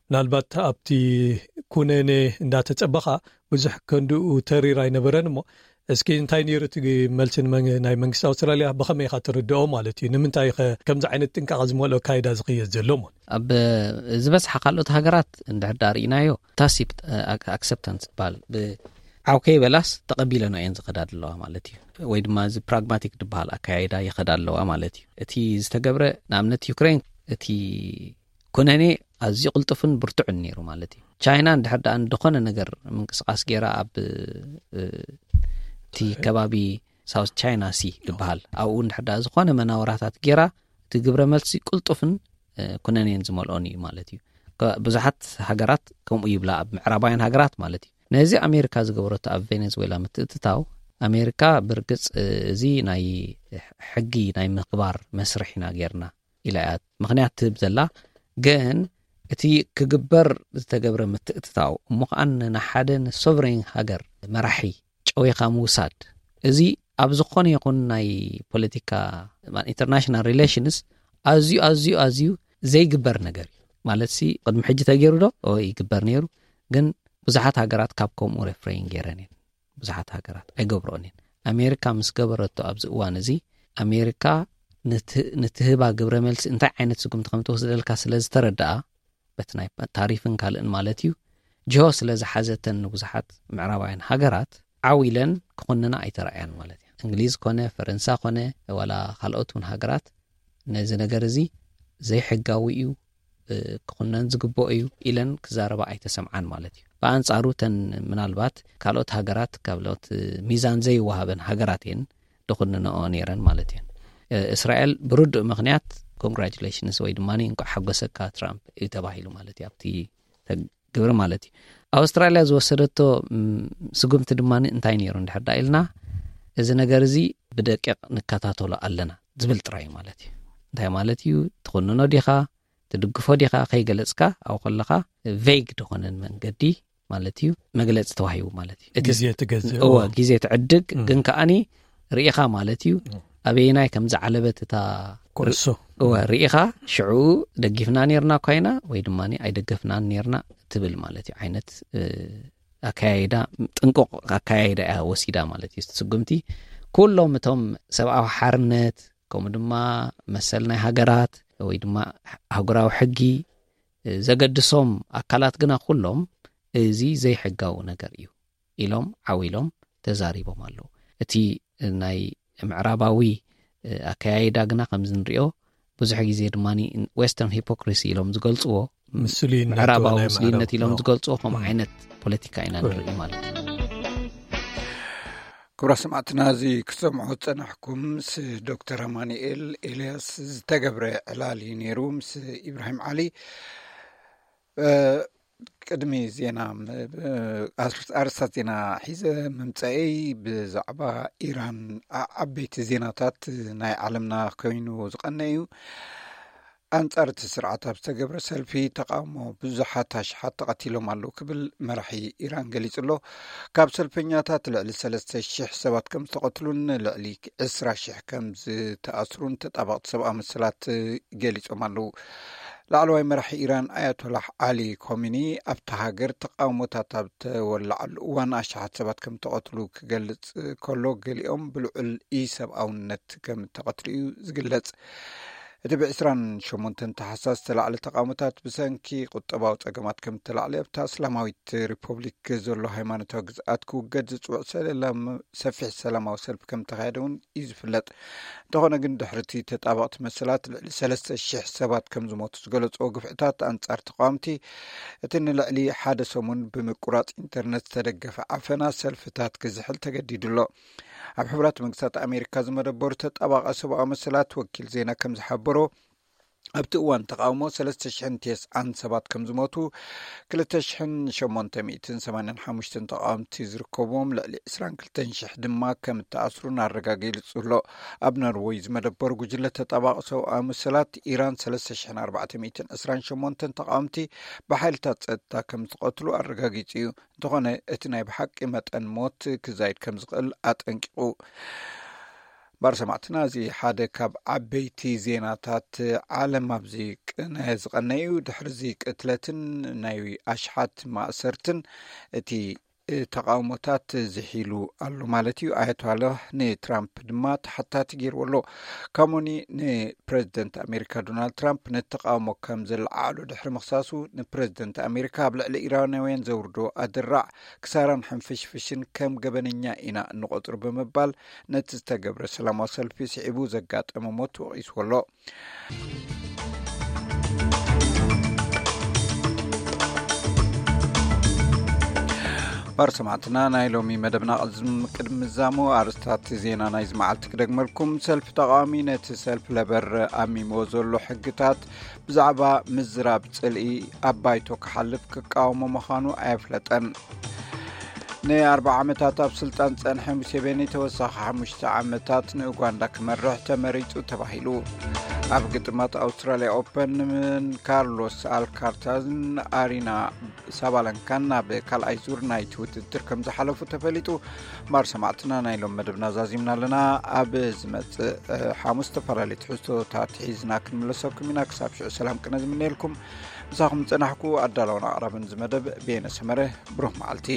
ምናልባት ኣብቲ ኩነኔ እንዳተጸበኻ ብዙሕ ከንድኡ ተሪር ኣይነበረን እሞ እስኪ እንታይ ነይሩ እቲ መልሲ ናይ መንግስቲ ኣውስትራልያ ብኸመይ ኢኻ ትርድኦ ማለት እዩ? ንምንታይ ኸ ከምዚ ዓይነት ጥንቃቐ ዝመልኦ ኣካይዳ ዝኽየድ ዘሎ እሞ? ኣብ ዝበዝሓ ካልኦት ሃገራት እንድሕር ዳ ርኢናዮ ታሲፕ ኣክሰፕታንስ ዝበሃል ብዓው ከይበላስ ተቐቢለኖ እየን ዝኸዳ ዘለዋ ማለት እዩ። ወይ ድማ እዚ ፕራግማቲክ ዝበሃል ኣካያይዳ ይኸዳ ኣለዋ ማለት እዩ። እቲ ዝተገብረ ንኣብነት ዩክሬን እቲ ኩነኔ ኣዝዩ ቅልጡፍን ብርቱዕን ነይሩ ማለት እዩ። ቻይና እንድሕር ደኣ ዝኾነ ነገር ምንቅስቃስ ገይራ ኣብ እቲ ከባቢ ሳውት ቻይና ሲ ዝበሃል ኣብኡ እንድሕር ደኣ ዝኾነ መናወራታት ገይራ እቲ ግብረ መልሲ ቅልጡፍን ኩነኔን ዝመልኦን እዩ ማለት እዩ። ብዙሓት ሃገራት ከምኡ ይብላ፣ ኣብ ምዕራባውያን ሃገራት ማለት እዩ። ነዚ ኣሜሪካ ዝገበረቶ ኣብ ቬኔዙዌላ ምትእትታው፣ ኣሜሪካ ብርግጽ እዚ ናይ ሕጊ ናይ ምኽባር መስርሕ ኢና ጌርና ኢላ እያ ምኽንያት ትህብ ዘላ። ግን እቲ ክግበር ዝተገብረ ምትእትታው እሞ ከኣ ንሓደ ንሶቨሬን ሃገር መራሒ ጨዊኻ ምውሳድ፣ እዚ ኣብ ዝኾነ ይኹን ናይ ፖለቲካ ኢንተርናሽናል ሪሌሽንስ ኣዝዩ ኣዝዩ ኣዝዩ ዘይግበር ነገር እዩ። ማለት ሲ ቅድሚ ሕጂ ተገይሩ ዶ? ኦ ይግበር ነይሩ። ግን ብዙሓት ሃገራት ካብ ከምኡ ሬፍሬን ገይረን እየን። ብዙሓት ሃገራት ኣይገብረኦን እየን። ኣሜሪካ ምስ ገበረቶ ኣብዚ እዋን እዚ ኣሜሪካ ንትህባ ግብረ መልሲ እንታይ ዓይነት ስጉምቲ ከም ትወስደልካ ስለ ዝተረድኣ፣ በቲ ናይ ታሪፍን ካልእን ማለት እዩ፣ ጅሆ ስለ ዝሓዘተን ንብዙሓት ምዕራባውያን ሃገራት ዓው ኢለን ክኹንና ኣይተረኣያን ማለት እዩ። እንግሊዝ ኮነ ፈረንሳ ኮነ ዋላ ካልኦት እውን ሃገራት ነዚ ነገር እዚ ዘይሕጋዊ እዩ፣ ክኹነን ዝግብኦ እዩ ኢለን ክዛረባ ኣይተሰምዓን ማለት እዩ። ብኣንጻሩ ተን ምናልባት ካልኦት ሃገራት፣ ካልኦት ሚዛን ዘይወሃበን ሃገራት እየን ዝኹንንኦ ነይረን ማለት እየን። እስራኤል ብርዱእ ምኽንያት ኮንግራቹሌሽንስ ወይ ድማ እንኳዕ ሓጎሰካ ትራምፕ እዩ ተባሂሉ ማለት እዩ ኣብቲ ግብሪ ማለት እዩ። ኣውስትራልያ ዝወሰደቶ ስጉምቲ ድማ እንታይ ነይሩ እንድሕር ዳ ኢልና፣ እዚ ነገር እዚ ብደቂቕ ንከታተሎ ኣለና ዝብል ጥራይ ማለት እዩ። እንታይ ማለት እዩ? ትኹንኖ ዲኻ? ትድግፎ ዲኻ? ከይገለጽካ ኣብኡ ከለኻ ቬግ ዝኾነን መንገዲ ማለት እዩ መግለጺ ተዋሂቡ ማለት እዩ። እቲ ግዜ ትገዝእ፣ እወ፣ እወ። ግዜ ትዕድግ፣ እም። ግን ከኣኒ ርኢኻ ማለት እዩ። እም። ኣበየናይ ከም ዝዓለበት እታ ኩዕሶ። እወ፣ ርኢኻ ሽዑ ደጊፍና ኔርና እኳ ኢና ወይ ድማ ኣይደገፍናን ኔርና ትብል ማለት እዩ። ዓይነት፣ እ፣ ኣከያይዳ፣ ጥንቁቕ ኣከያይዳ እያ ወሲዳ ማለት እዩ። እቲ ስጉምቲ ኩሎም እቶም ሰብኣዊ ሓርነት ከምኡ ድማ መሰል ናይ ሃገራት ወይ ድማ ኣህጉራዊ ሕጊ፣ እ፣ ዘገድሶም ኣካላት ግና ኩሎም እዚ ዘይሕጋዊ ነገር እዩ ኢሎም ዓው ኢሎም ተዛሪቦም ኣለዉ። እቲ ናይ ምዕራባዊ፣ እ፣ ኣከያይዳ ግና ከምዚ ንሪኦ ብዙሕ ግዜ ድማ ዌስተርን ሂፖክሪሲ ኢሎም ዝገልጽዎ፣ ምስሉይነት ምዕራባዊ ናይ ምስሉይነት ምዕራብ። ኢሎም ዝገልጽዎ ከምኡ ም። ዓይነት ፖለቲካ ኢና ም። ንርኢ ማለት እዩ። ክቡራት ሰማዕትና፣ እዚ ክትሰምዑ ዝጸናሕኩም ምስ ዶክተር ኣማኑኤል ኤልያስ ዝተገብረ ዕላል እዩ ነይሩ፣ ምስ ኢብራሂም ዓሊ። እ፣ ቅድሚ ዜና ም-፣ ብ-፣ ኣር-፣ ኣርእስታት ዜና ሒዘ ምምጻኤይ፣ ብዛዕባ ኢራን ዓ-፣ ዓበይቲ ዜናታት ናይ ዓለምና ኮይኑ ዝቐነ እዩ። ኣንጻር እቲ ስርዓት ኣብ ዝተገብረ ሰልፊ ተቃውሞ ብዙሓት ኣሽሓት ተቐቲሎም ኣለዉ ክብል መራሒ ኢራን ገሊጹ ኣሎ። ካብ ሰልፈኛታት ልዕሊ ሰለስተ ሽሕ ሰባት ከም ዝተቐትሉን ልዕሊ ዕስራ ሽሕ ከም ዝተኣስሩን ተጣበቕቲ ሰብኣዊ መሰላት ገሊጾም ኣለዉ። ላዕለዋይ መራሒ ኢራን ኣያቶላህ ዓሊ ኮሚኒ ኣብታ ሃገር ተቃውሞታት ኣብ ተወላዓሉ እዋን ኣሽሓት ሰባት ከም ተቐትሉ ክገልጽ ከሎ፣ ገሊኦም ብልዑል ኢሰብኣውነት ከም ተቐትሉ እዩ ዝግለጽ። እቲ ብ ዕስራን ሸሞንተን ታሕሳስ ዝተላዕለ ተቃውሞታት ብሰንኪ ቁጠባዊ ጸገማት ከም እተላዕለ ኣብታ እስላማዊት ሪፐብሊክ ዘሎ ሃይማኖታዊ ግዝኣት ክውገድ ዝጽውዕ ሰለላም-፣ ሰፊሕ ሰላማዊ ሰልፊ ከም እተኻየደ እውን እዩ ዝፍለጥ። እንተኾነ ግን ድሕሪ እቲ ተጣበቕቲ መሰላት ልዕሊ ሰለስተ ሽሕ ሰባት ከም ዝሞቱ ዝገለጽዎ ግፍዕታት ኣንጻር ተቃወምቲ፣ እቲ ንልዕሊ ሓደ ሰሙን ብምቁራጽ ኢንተርነት ዝተደገፈ ዓፈና ሰልፍታት ክዝሕል ተገዲዱ ኣሎ። ኣብ ሕቡራት መንግስታት ኣሜሪካ ዝመደበሩ ተጣባቒ ሰብኣዊ መሰላት ወኪል ዜና ከም ዝሓበሮ፣ ኣብቲ እዋን ተቃውሞ ሰለስተ ሽሕን ተስዓን ሰባት ከም ዝሞቱ፣ ክልተ ሽሕን ሸሞንተ ሚእትን ሰማንያን ሓሙሽተን ተቃወምቲ ዝርከብዎም ልዕሊ ዕስራን ክልተን ሽሕ ድማ ከም እተኣስሩን ኣረጋጊጹ ኣሎ። ኣብ ኖርወይ ዝመደበሩ ጉጅለ ተጣባቒ ሰብኣዊ መሰላት፣ ኢራን ሰለስተ ሽሕን ኣርባዕተ ሚእትን ዕስራን ሸሞንተን ተቃወምቲ ብሓይልታት ጸጥታ ከም ዝቐትሉ ኣረጋጊጹ እዩ። እንተኾነ፣ እቲ ናይ ብሓቂ መጠን ሞት ክዛይድ ከም ዝኽእል ኣጠንቂቑ። ባር ሰማዕትና፣ እዚ ሓደ ካብ ዓበይቲ ዜናታት ዓለም ኣብዚ ቅነ ዝቐነ እዩ። ድሕሪ እዚ ቅትለትን ናይ ኣሽሓት ማእሰርትን፣ እቲ ተቃውሞታት ዝሒሉ ኣሎ ማለት እዩ። ኣያቶላህ ንትራምፕ ድማ ተሓታቲ ገይርዎ ኣሎ። ካሞኒ ንፕረዚደንት ኣሜሪካ ዶናልድ ትራምፕ ነቲ ተቃውሞ ከም ዘለዓዕሎ ድሕሪ ምኽሳሱ፣ ንፕረዚደንት ኣሜሪካ ኣብ ልዕሊ ኢራናውያን ዘውርዶ ኣድራዕ፣ ክሳራን ሕንፍሽፍሽን ከም ገበነኛ ኢና እንቆጽሮ ብምባል፣ ነቲ ዝተገብረ ሰላማዊ ሰልፊ ስዒቡ ዘጋጠመ ሞት ወቒስዎ ኣሎ። ባር ሰማዕትና፣ ናይ ሎሚ መደብና ቅድሚ ምዛሙ ኣርስታት ዜና ናይዚ መዓልቲ ክደግመልኩም። ሰልፊ ተቃዋሚ ነቲ ሰልፊ ለበር ኣሚሞ ዘሎ ሕግታት ብዛዕባ ምዝራብ ጽልኢ ኣብ ባይቶ ክሓልፍ ክቃወሞ ምዃኑ ኣየፍለጠን። ንኣርባዓ ዓመታት ኣብ ስልጣን ጸንሐ ሙሴቬኒ ተወሳኺ ሓሙሽተ ዓመታት ንኡጋንዳ ክመርሕ ተመሪጹ ተባሂሉ። ኣብ ግጥማት ኣውስትራልያ ኦፐን ምን ካርሎስ ኣልካርታዝን ኣሪና ሳባለንካን ናብ ካልኣይ ዙር ናይቲ ውድድር ከም ዝሓለፉ ተፈሊጡ። ባር ሰማዕትና፣ ናይ ሎም መደብና ዛዚምና ኣለና። ኣብ ዝመጽእ ሓሙስ ዝተፈላለዩ ትሕዝቶታት ሒዝና ክንምለሰኩም ኢና። ክሳብ ሽዑ ሰላም ቅነ ዝምነየልኩም። ምሳኹም ዝጸናሕኩ ኣዳላውን ኣቕራብን ዝመደብ ቤነ ሰመረ። ብሩኽ መዓልቲ።